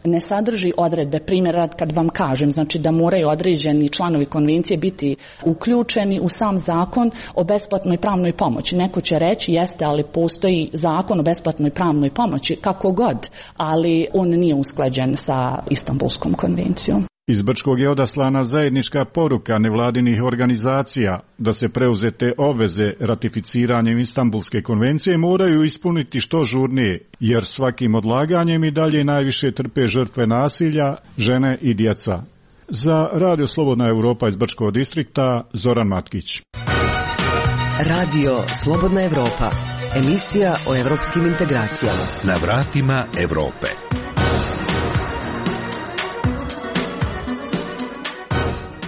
ne sadrži odredbe, primjer kad vam kažem, znači da moraju određeni članovi konvencije biti uključeni u sam zakon o besplatnoj pravnoj pomoći. Neko će reći jeste, ali postoji zakon o besplatnoj pravnoj pomoći, kako god, ali on nije usklađen sa Istanbulskom konvencijom. Iz Brčkog je odaslana zajednička poruka nevladinih organizacija da se preuzete obveze ratificiranjem Istanbulske konvencije moraju ispuniti što žurnije, jer svakim odlaganjem i dalje najviše trpe žrtve nasilja, žene i djeca. Za Radio Slobodna Evropa iz Brčkog distrikta, Zoran Matkić. Radio Slobodna Evropa, emisija o evropskim integracijama. Na vratima Evrope.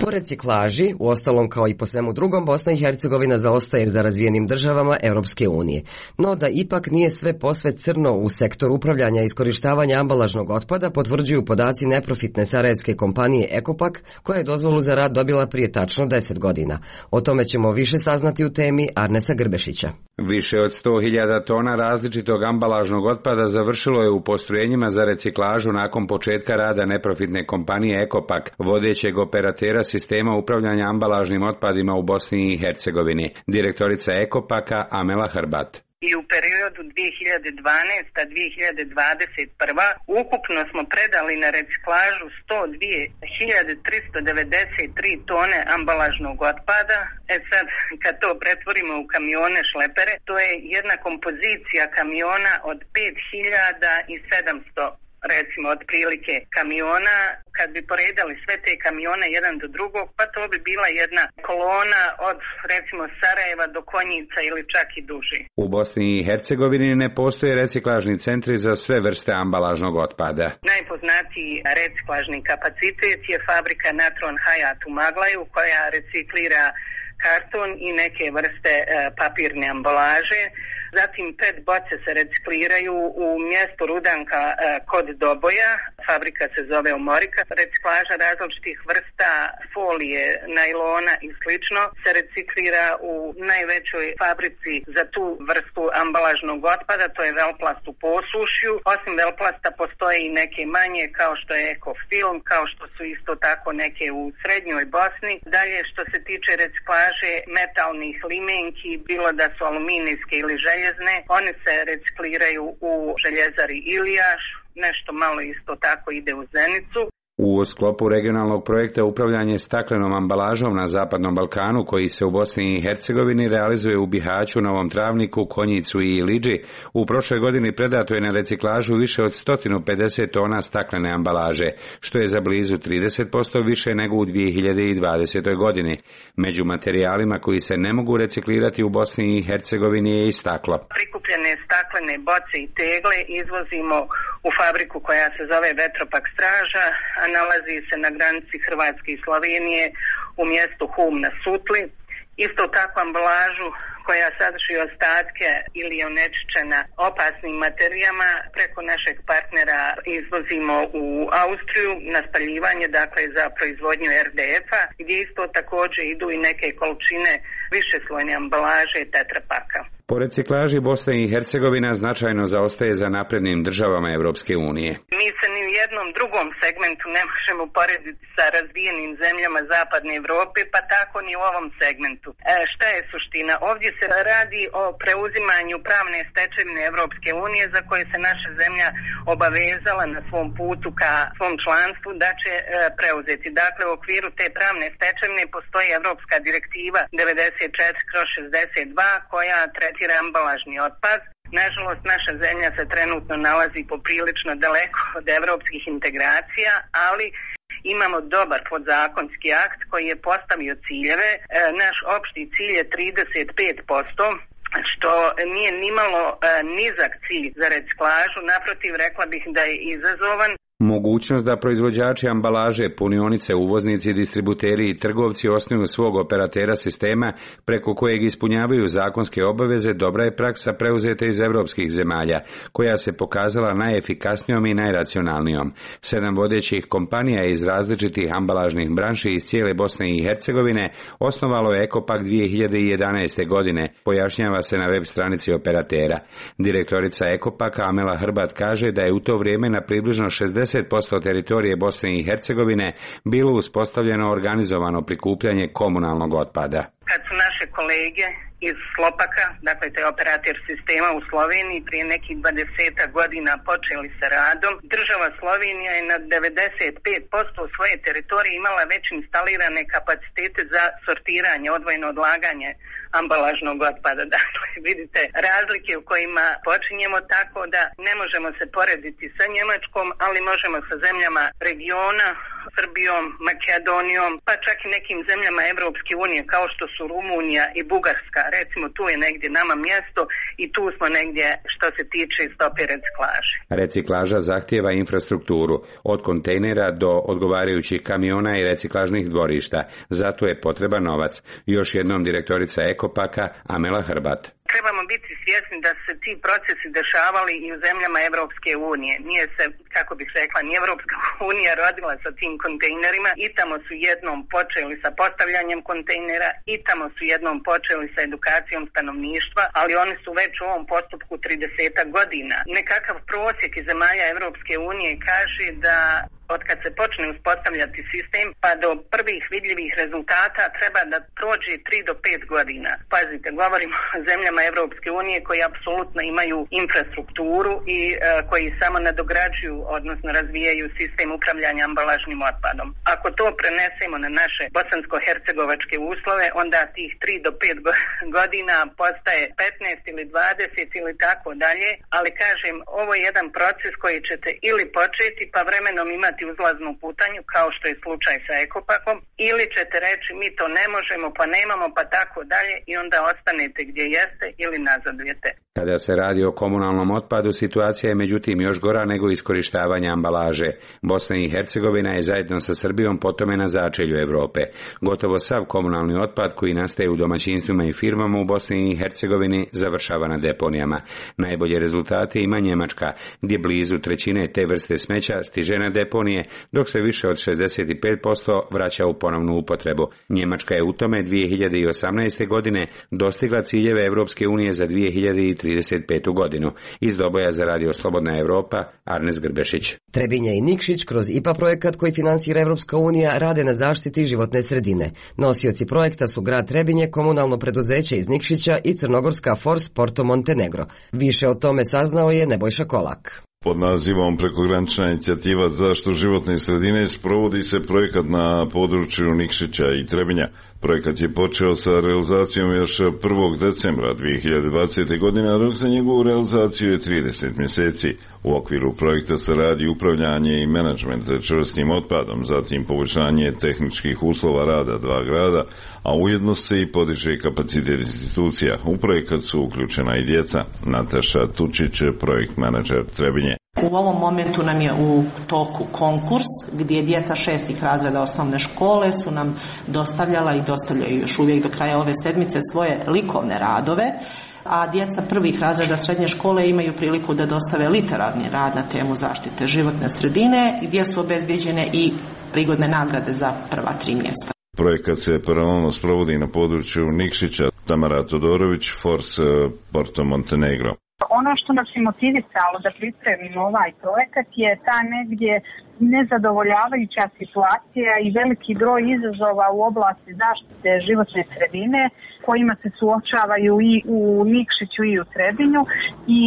Po reciklaži, uostalom kao i po svemu drugom, Bosna i Hercegovina zaostaje za razvijenim državama Europske unije. No da ipak nije sve posve crno u sektoru upravljanja i iskorištavanja ambalažnog otpada, potvrđuju podaci neprofitne sarajevske kompanije Ekopak, koja je dozvolu za rad dobila prije tačno deset godina. O tome ćemo više saznati u temi Arnesa Grbešića. Više od sto hiljada tona različitog ambalažnog otpada završilo je u postrojenjima za reciklažu nakon početka rada neprofitne kompanije Ekopak, vodećeg operatera sistema upravljanja ambalažnim otpadima u Bosni i Hercegovini. Direktorica Ekopaka Amela Hrbat. I u periodu dvije hiljade dvanaeste do dvije hiljade dvadeset prve. ukupno smo predali na reciklažu sto dvije hiljade tristo devedeset tri tone ambalažnog otpada. E sad, kad to pretvorimo u kamione šlepere, to je jedna kompozicija kamiona od pet hiljada sedamsto recimo otprilike kamiona. Kad bi poredali sve te kamione jedan do drugog, pa to bi bila jedna kolona od recimo Sarajeva do Konjica ili čak i duži. U Bosni i Hercegovini ne postoje reciklažni centri za sve vrste ambalažnog otpada. Najpoznatiji reciklažni kapacitet je fabrika Natron Hayat u Maglaju koja reciklira karton i neke vrste e, papirne ambalaže. Zatim pet boce se recikliraju u mjestu Rudanka e, kod Doboja, fabrika se zove Omorika. Reciklaža različitih vrsta folije, najlona i slično se reciklira u najvećoj fabrici za tu vrstu ambalažnog otpada, to je Velplast u Posušju. Osim Velplasta postoje i neke manje kao što je Ekofilm, kao što su isto tako neke u srednjoj Bosni. Dalje što se tiče reciklaže metalnih limenki, bilo da su aluminijske ili željezne, one se recikliraju u željezari Ilijaš, nešto malo isto tako ide u Zenicu. U sklopu regionalnog projekta upravljanje staklenom ambalažom na Zapadnom Balkanu, koji se u Bosni i Hercegovini realizuje u Bihaću, Novom Travniku, Konjicu i Ilidži, u prošloj godini predato je na reciklažu više od sto pedeset tona staklene ambalaže, što je za blizu trideset posto više nego u dvije hiljade dvadesetoj. godini. Među materijalima koji se ne mogu reciklirati u Bosni i Hercegovini je i staklo. Prikupljene staklene boce i tegle izvozimo u fabriku koja se zove Vetropak Straža, a nalazi se na granici Hrvatske i Slovenije u mjestu Hum na Sutli. Isto tako ambalažu koja sadrži ostatke ili je onečišćena opasnim materijama preko našeg partnera izvozimo u Austriju na spaljivanje, dakle za proizvodnju er de efa, gdje isto također idu i neke količine višeslojne ambalaže tetrapaka. Po reciklaži Bosna i Hercegovina značajno zaostaje za naprednim državama Europske unije. Mi se ni u jednom drugom segmentu ne možemo porediti sa razvijenim zemljama Zapadne Europe, pa tako ni u ovom segmentu. E, šta je suština? Ovdje se radi o preuzimanju pravne stečevine Europske unije za koje se naša zemlja obavezala na svom putu ka svom članstvu da će e, preuzeti. Dakle, u okviru te pravne stečevine postoji Europska direktiva devedeset četiri kroz šezdeset dva koja tretira ambalažni otpad. Nažalost, naša zemlja se trenutno nalazi poprilično daleko od evropskih integracija, ali imamo dobar podzakonski akt koji je postavio ciljeve. E, naš opšti cilj je trideset pet posto, što nije nimalo e, nizak cilj za reciklažu, naprotiv rekla bih da je izazovan. Mogućnost da proizvođači ambalaže, punionice, uvoznici, distributeri i trgovci osnuju svog operatera sistema preko kojeg ispunjavaju zakonske obaveze dobra je praksa preuzeta iz evropskih zemalja, koja se pokazala najefikasnijom i najracionalnijom. Sedam vodećih kompanija iz različitih ambalažnih branši iz cijele Bosne i Hercegovine osnovalo je Ekopak dvije hiljade jedanaeste. godine, pojašnjava se na web stranici operatera. Direktorica Ekopaka Amela Hrbat kaže da je u to vrijeme na približno šezdeset posto teritorije Bosne i Hercegovine bilo uspostavljeno organizovano prikupljanje komunalnog otpada. Kad su naše kolege iz Slopaka, dakle to je operator sistema u Sloveniji, prije nekih dvadeset godina počeli sa radom, država Slovenija je na devedeset pet posto svoje teritorije imala već instalirane kapacitete za sortiranje, odvojeno odlaganje ambalažnog otpada. Dakle, vidite razlike u kojima počinjemo, tako da ne možemo se porediti sa Njemačkom, ali možemo sa zemljama regiona, Srbijom, Makedonijom, pa čak i nekim zemljama Evropske unije kao što su Rumunija i Bugarska. Recimo tu je negdje nama mjesto i tu smo negdje što se tiče stope reciklaže. Reciklaža zahtijeva infrastrukturu, od kontejnera do odgovarajućih kamiona i reciklažnih dvorišta. Zato je potreban novac. Još jednom direktorica Ekopaka Amela Hrbat. Trebamo biti svjesni da se ti procesi dešavali i u zemljama Evropske unije. Nije se, kako bih rekla, ni Evropska unija rodila sa tim kontejnerima. I tamo su jednom počeli sa postavljanjem kontejnera, i tamo su jednom počeli sa edukacijom stanovništva, ali oni su već u ovom postupku trideset godina. Nekakav prosjek iz zemalja Evropske unije kaže da od kad se počne uspostavljati sistem pa do prvih vidljivih rezultata treba da prođe tri do pet godina. Pazite, govorimo o zemljama Evropske unije koji apsolutno imaju infrastrukturu i e, koji samo nadograđuju, odnosno razvijaju sistem upravljanja ambalažnim otpadom. Ako to prenesemo na naše bosansko-hercegovačke uslove, onda tih tri do pet godina postaje petnaest ili dvadeset ili tako dalje, ali kažem, ovo je jedan proces koji ćete ili početi pa vremenom imati uzlaznu putanju kao što je slučaj sa Ekopakom, ili ćete reći mi to ne možemo pa nemamo pa tako dalje i onda ostanete gdje jeste ili nazadujete. Kada se radi o komunalnom otpadu, situacija je međutim još gora nego iskorištavanje ambalaže. Bosna i Hercegovina je zajedno sa Srbijom po tome na začelju Europe. Gotovo sav komunalni otpad koji nastaje u domaćinstvima i firmama u Bosni i Hercegovini završava na deponijama. Najbolje rezultate ima Njemačka, gdje blizu trećine te vrste smeća stiže na deponije, dok se više od šezdeset pet posto vraća u ponovnu upotrebu. Njemačka je u tome dvije hiljade osamnaeste. godine dostigla ciljeve Evropske unije za dvije hiljade trideset petu. godinu. Iz Doboja za Radio Slobodna Evropa, Arnes Grbešić. Trebinje i Nikšić kroz I P A projekat koji finansira Evropska unija rade na zaštiti životne sredine. Nosioci projekta su grad Trebinje, komunalno preduzeće iz Nikšića i crnogorska Force Porto Montenegro. Više o tome saznao je Nebojša Kolak. Pod nazivom Prekogranična inicijativa za zaštitu životne sredine sprovodi se projekat na području Nikšića i Trebinja. Projekat je počeo sa realizacijom još prvog decembra dvije hiljade dvadesete. godine, a rok za njegovu realizaciju je trideset mjeseci. U okviru projekta se radi upravljanje i menadžment čvrstim otpadom, zatim poboljšanje tehničkih uslova rada dva grada, a ujedno se i podiže kapacitet institucija. U projekat su uključena i djeca. Nataša Tučić, projekt menadžer Trebinje. U ovom momentu nam je u toku konkurs gdje djeca šestih razreda osnovne škole su nam dostavljala i dostavljaju još uvijek do kraja ove sedmice svoje likovne radove, a djeca prvih razreda srednje škole imaju priliku da dostave literarni rad na temu zaštite životne sredine gdje su obezbijeđene i prigodne nagrade za prva tri mjesta. Projekat se paralelno sprovodi na području Nikšića. Tamara Todorović, Force Porto Montenegro. Ono što nas je motivisalo da pripremimo ovaj projekat je ta negdje nezadovoljavajuća situacija i veliki broj izazova u oblasti zaštite životne sredine kojima se suočavaju i u Nikšiću i u Trebinju i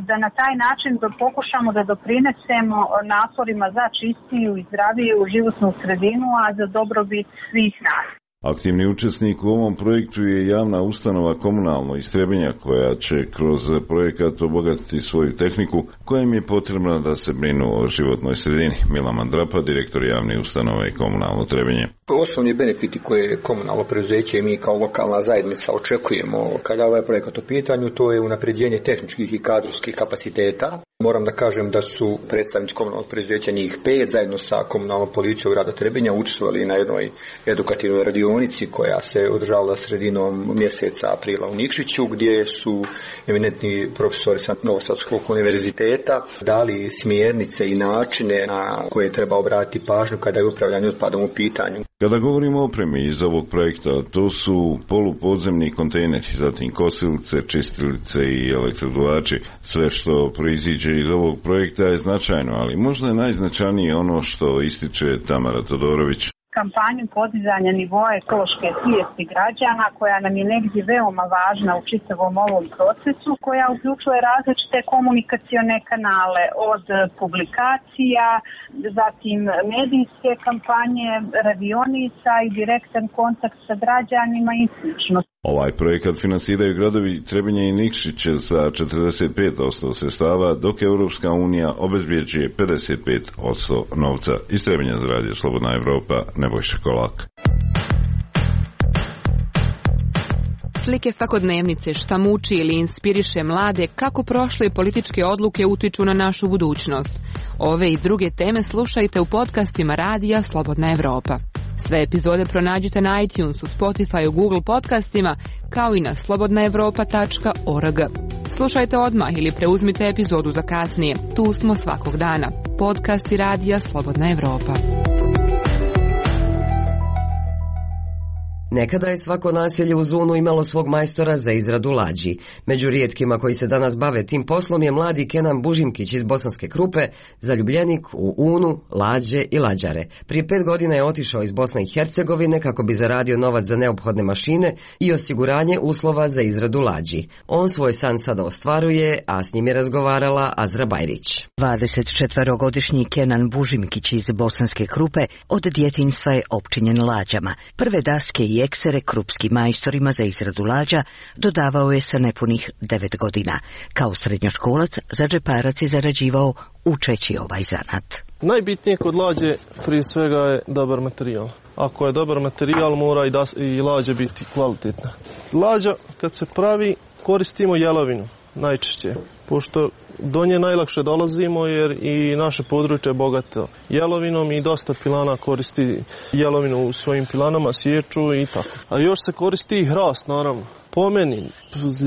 da na taj način da pokušamo da doprinesemo naporima za čistiju i zdraviju životnu sredinu, a za dobrobit svih nas. Aktivni učesnik u ovom projektu je javna ustanova Komunalno iz Trebinja koja će kroz projekat obogatiti svoju tehniku koja im je potrebna da se brinu o životnoj sredini. Milan Mandrapa, direktor javne ustanove Komunalno Trebinje. Osnovni benefiti koje komunalno preduzeće i mi kao lokalna zajednica očekujemo kada je ovaj projekat u pitanju, to je unapređenje tehničkih i kadrovskih kapaciteta. Moram da kažem da su predstavnici komunalnog preduzeća njih pet zajedno sa komunalnom policijom grada Trebinja učestvovali na jednoj edukativnoj radionici koja se održavala sredinom mjeseca aprila u Nikšiću, gdje su eminentni profesori sa Novosadskog univerziteta dali smjernice i načine na koje treba obratiti pažnju kada je upravljanje otpadom u pitanju. Kada govorimo o opremi iz ovog projekta, to su polupodzemni kontejneri, zatim kosilice, čistilice i elektroduvači. Sve što proiziđe iz ovog projekta je značajno, ali možda je najznačajnije ono što ističe Tamara Todorović. Kampanju podizanja nivoa ekološke svijesti građana koja nam je negdje veoma važna u čitavom ovom procesu, koja uključuje različite komunikacione kanale od publikacija, zatim medijske kampanje, radionica i direktan kontakt sa građanima i slično. Ovaj projekat finansiraju gradovi Trebinje i Nikšić sa četrdeset pet posto sredstava, dok Europska unija obezbjeđuje pedeset pet posto novca. Iz Trebinja za Radio Slobodna Evropa, Nebojša Kolak. Slike svakodnevnice, šta muči ili inspiriše mlade, kako prošle političke odluke utiču na našu budućnost. Ove i druge teme slušajte u podcastima Radija Slobodna Evropa. Sve epizode pronađite na iTunesu, Spotifyu, Google podcastima, kao i na slobodna evropa tačka org. Slušajte odmah ili preuzmite epizodu za kasnije. Tu smo svakog dana. Podcasti Radija Slobodna Evropa. Nekada je svako naselje u Zunu imalo svog majstora za izradu lađi. Među rijetkima koji se danas bave tim poslom je mladi Kenan Bužimkić iz Bosanske Krupe, zaljubljenik u unu, lađe i lađare. Prije pet godina je otišao iz Bosne i Hercegovine kako bi zaradio novac za neophodne mašine i osiguranje uslova za izradu lađi. On svoj san sada ostvaruje, a s njim je razgovarala Azra Bajrić. dvadesetčetverogodišnji Kenan Bužimkić iz Bosanske Krupe od djetinjstva je opčinjen lađama. Prve daske i eksere krupskim majstorima za izradu lađa dodavao je sa nepunih devet godina. Kao srednjoškolac za džeparac je zarađivao učeći ovaj zanat. Najbitnije kod lađe prije svega je dobar materijal. Ako je dobar materijal, mora i, das, i lađa biti kvalitetna. Lađa kad se pravi koristimo jelovinu najčešće, pošto do nje najlakše dolazimo jer i naše područje je bogato jelovinom i dosta pilana koristi jelovinu u svojim pilanama, sječu i tako. A još se koristi i hrast, naravno. Po meni,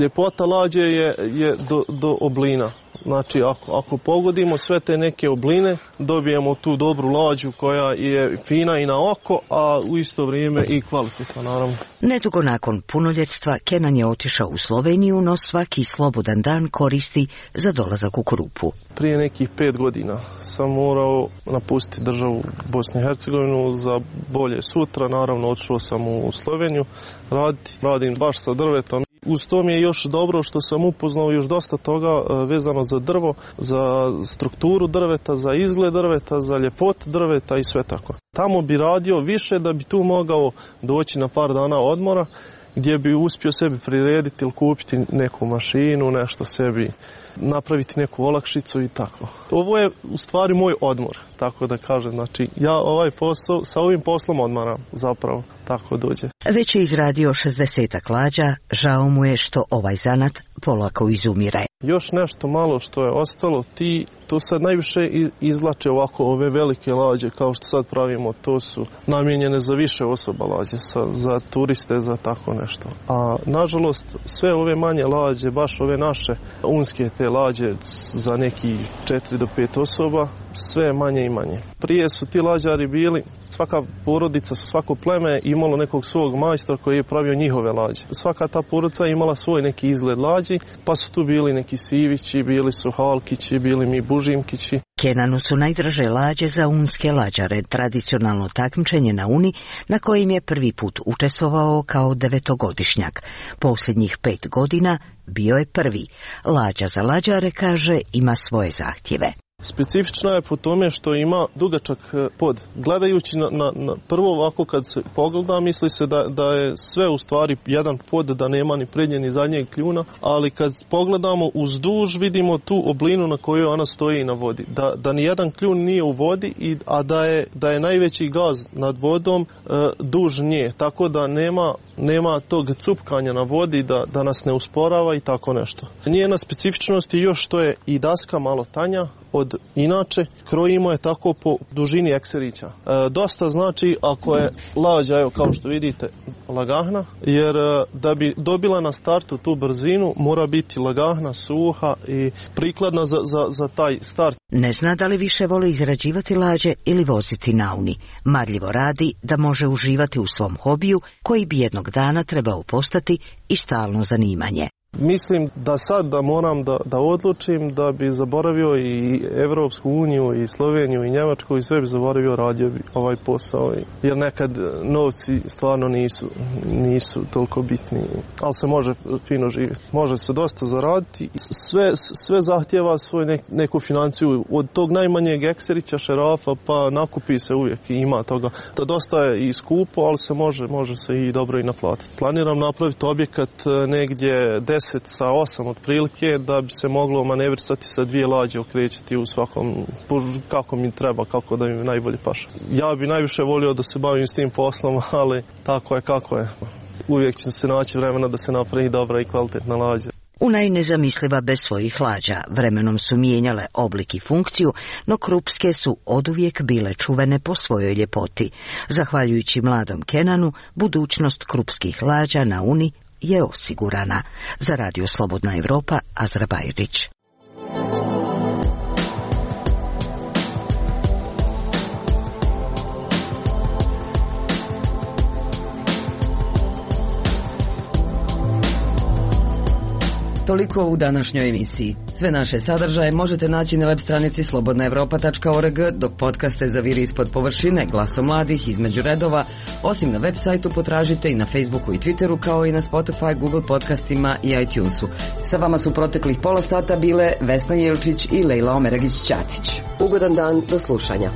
ljepota lađe je, je do, do oblina. Znači, ako, ako pogodimo sve te neke obline, dobijemo tu dobru lađu koja je fina i na oko, a u isto vrijeme i kvalitetna, naravno. Nedugo nakon punoljetstva, Kenan je otišao u Sloveniju, no svaki slobodan dan koristi za dolazak u Krupu. Prije nekih pet godina sam morao napustiti državu Bosnu i Hercegovinu za bolje sutra. Naravno, otišao sam u Sloveniju raditi. Radim baš sa drvetom. Uz to mi je još dobro što sam upoznao još dosta toga vezano za drvo, za strukturu drveta, za izgled drveta, za ljepotu drveta i sve tako. Tamo bi radio više da bi tu mogao doći na par dana odmora gdje bi uspio sebi prirediti ili kupiti neku mašinu, nešto sebi, napraviti neku olakšicu i tako. Ovo je u stvari moj odmor, tako da kažem. Znači, ja ovaj posao, sa ovim poslom odmaram zapravo, tako dođe. Već je izradio šezdesetak lađa, žao mu je što ovaj zanat polako izumire. Još nešto malo što je ostalo, ti to sad najviše izvlače ovako ove velike lađe kao što sad pravimo, to su namijenjene za više osoba lađe, sa, za turiste, za tako nešto. A nažalost sve ove manje lađe, baš ove naše unske te lađe za neki četiri do pet osoba, sve manje i manje. Prije su ti lađari bili, svaka porodica, svako pleme imalo nekog svog majstora koji je pravio njihove lađe. Svaka ta porodica imala svoj neki izgled lađi, pa su tu bili neki Sivići, bili su Halkići, bili mi Bužimkići. Kenanu su najdraže lađe za unske lađare, tradicionalno takmičenje na Uni na kojim je prvi put učestvovao kao devetogodišnjak. Posljednjih pet godina bio je prvi. Lađa za lađare, kaže, ima svoje zahtjeve. Specifična je po tome što ima dugačak pod. Gledajući na, na, na prvo ovako kad se pogleda, misli se da, da je sve u stvari jedan pod, da nema ni prednje ni zadnjeg kljuna, ali kad pogledamo uzduž vidimo tu oblinu na kojoj ona stoji na vodi. Da, da ni jedan kljun nije u vodi, i, a da je, da je najveći gaz nad vodom e, duž nje, tako da nema, nema tog cupkanja na vodi, da, da nas ne usporava i tako nešto. Njena specifičnost je još što je i daska malo tanja od inače, krojimo je tako po dužini ekserića. E, dosta znači ako je lađa, evo kao što vidite, lagahna, jer e, da bi dobila na startu tu brzinu mora biti lagahna, suha i prikladna za, za, za taj start. Ne zna da li više voli izrađivati lađe ili voziti na Uni. Marljivo radi da može uživati u svom hobiju koji bi jednog dana trebao postati i stalno zanimanje. Mislim da sad da moram da, da odlučim da bi zaboravio i Evropsku uniju i Sloveniju i Njemačku i sve bi zaboravio, radio bi ovaj posao, jer nekad novci stvarno nisu, nisu toliko bitni, ali se može fino živjeti. Može se dosta zaraditi, sve, sve zahtjeva svoju nek, neku financiju, od tog najmanjeg ekserića, šerafa, pa nakupi se uvijek i ima toga. To dosta je i skupo, ali se može, može se i dobro i naplatiti. Planiram napraviti objekat negdje deset sa osam otprilike, da bi se moglo manevrisati sa dvije lađe, okrećiti u svakom, kako mi treba, kako da mi najbolje paše. Ja bi najviše volio da se bavim s tim poslom, ali tako je kako je. Uvijek će se naći vremena da se napravi dobra i kvalitetna lađa. Una je nezamisliva bez svojih lađa. Vremenom su mijenjale oblik i funkciju, no krupske su oduvijek bile čuvene po svojoj ljepoti. Zahvaljujući mladom Kenanu, budućnost krupskih lađa na Uni je osigurana. Za Radio Slobodna Evropa, Azra Bajrić. Toliko u današnjoj emisiji. Sve naše sadržaje možete naći na web stranici slobodna evropa tačka org, dok podcaste Zaviri ispod površine, Glasom mladih, Između redova, osim na web sajtu potražite i na Facebooku i Twitteru, kao i na Spotify, Google podcastima i iTunesu. Sa vama su proteklih pola sata bile Vesna Jelčić i Lejla Omeragić-Ćatić. Ugodan dan, do slušanja.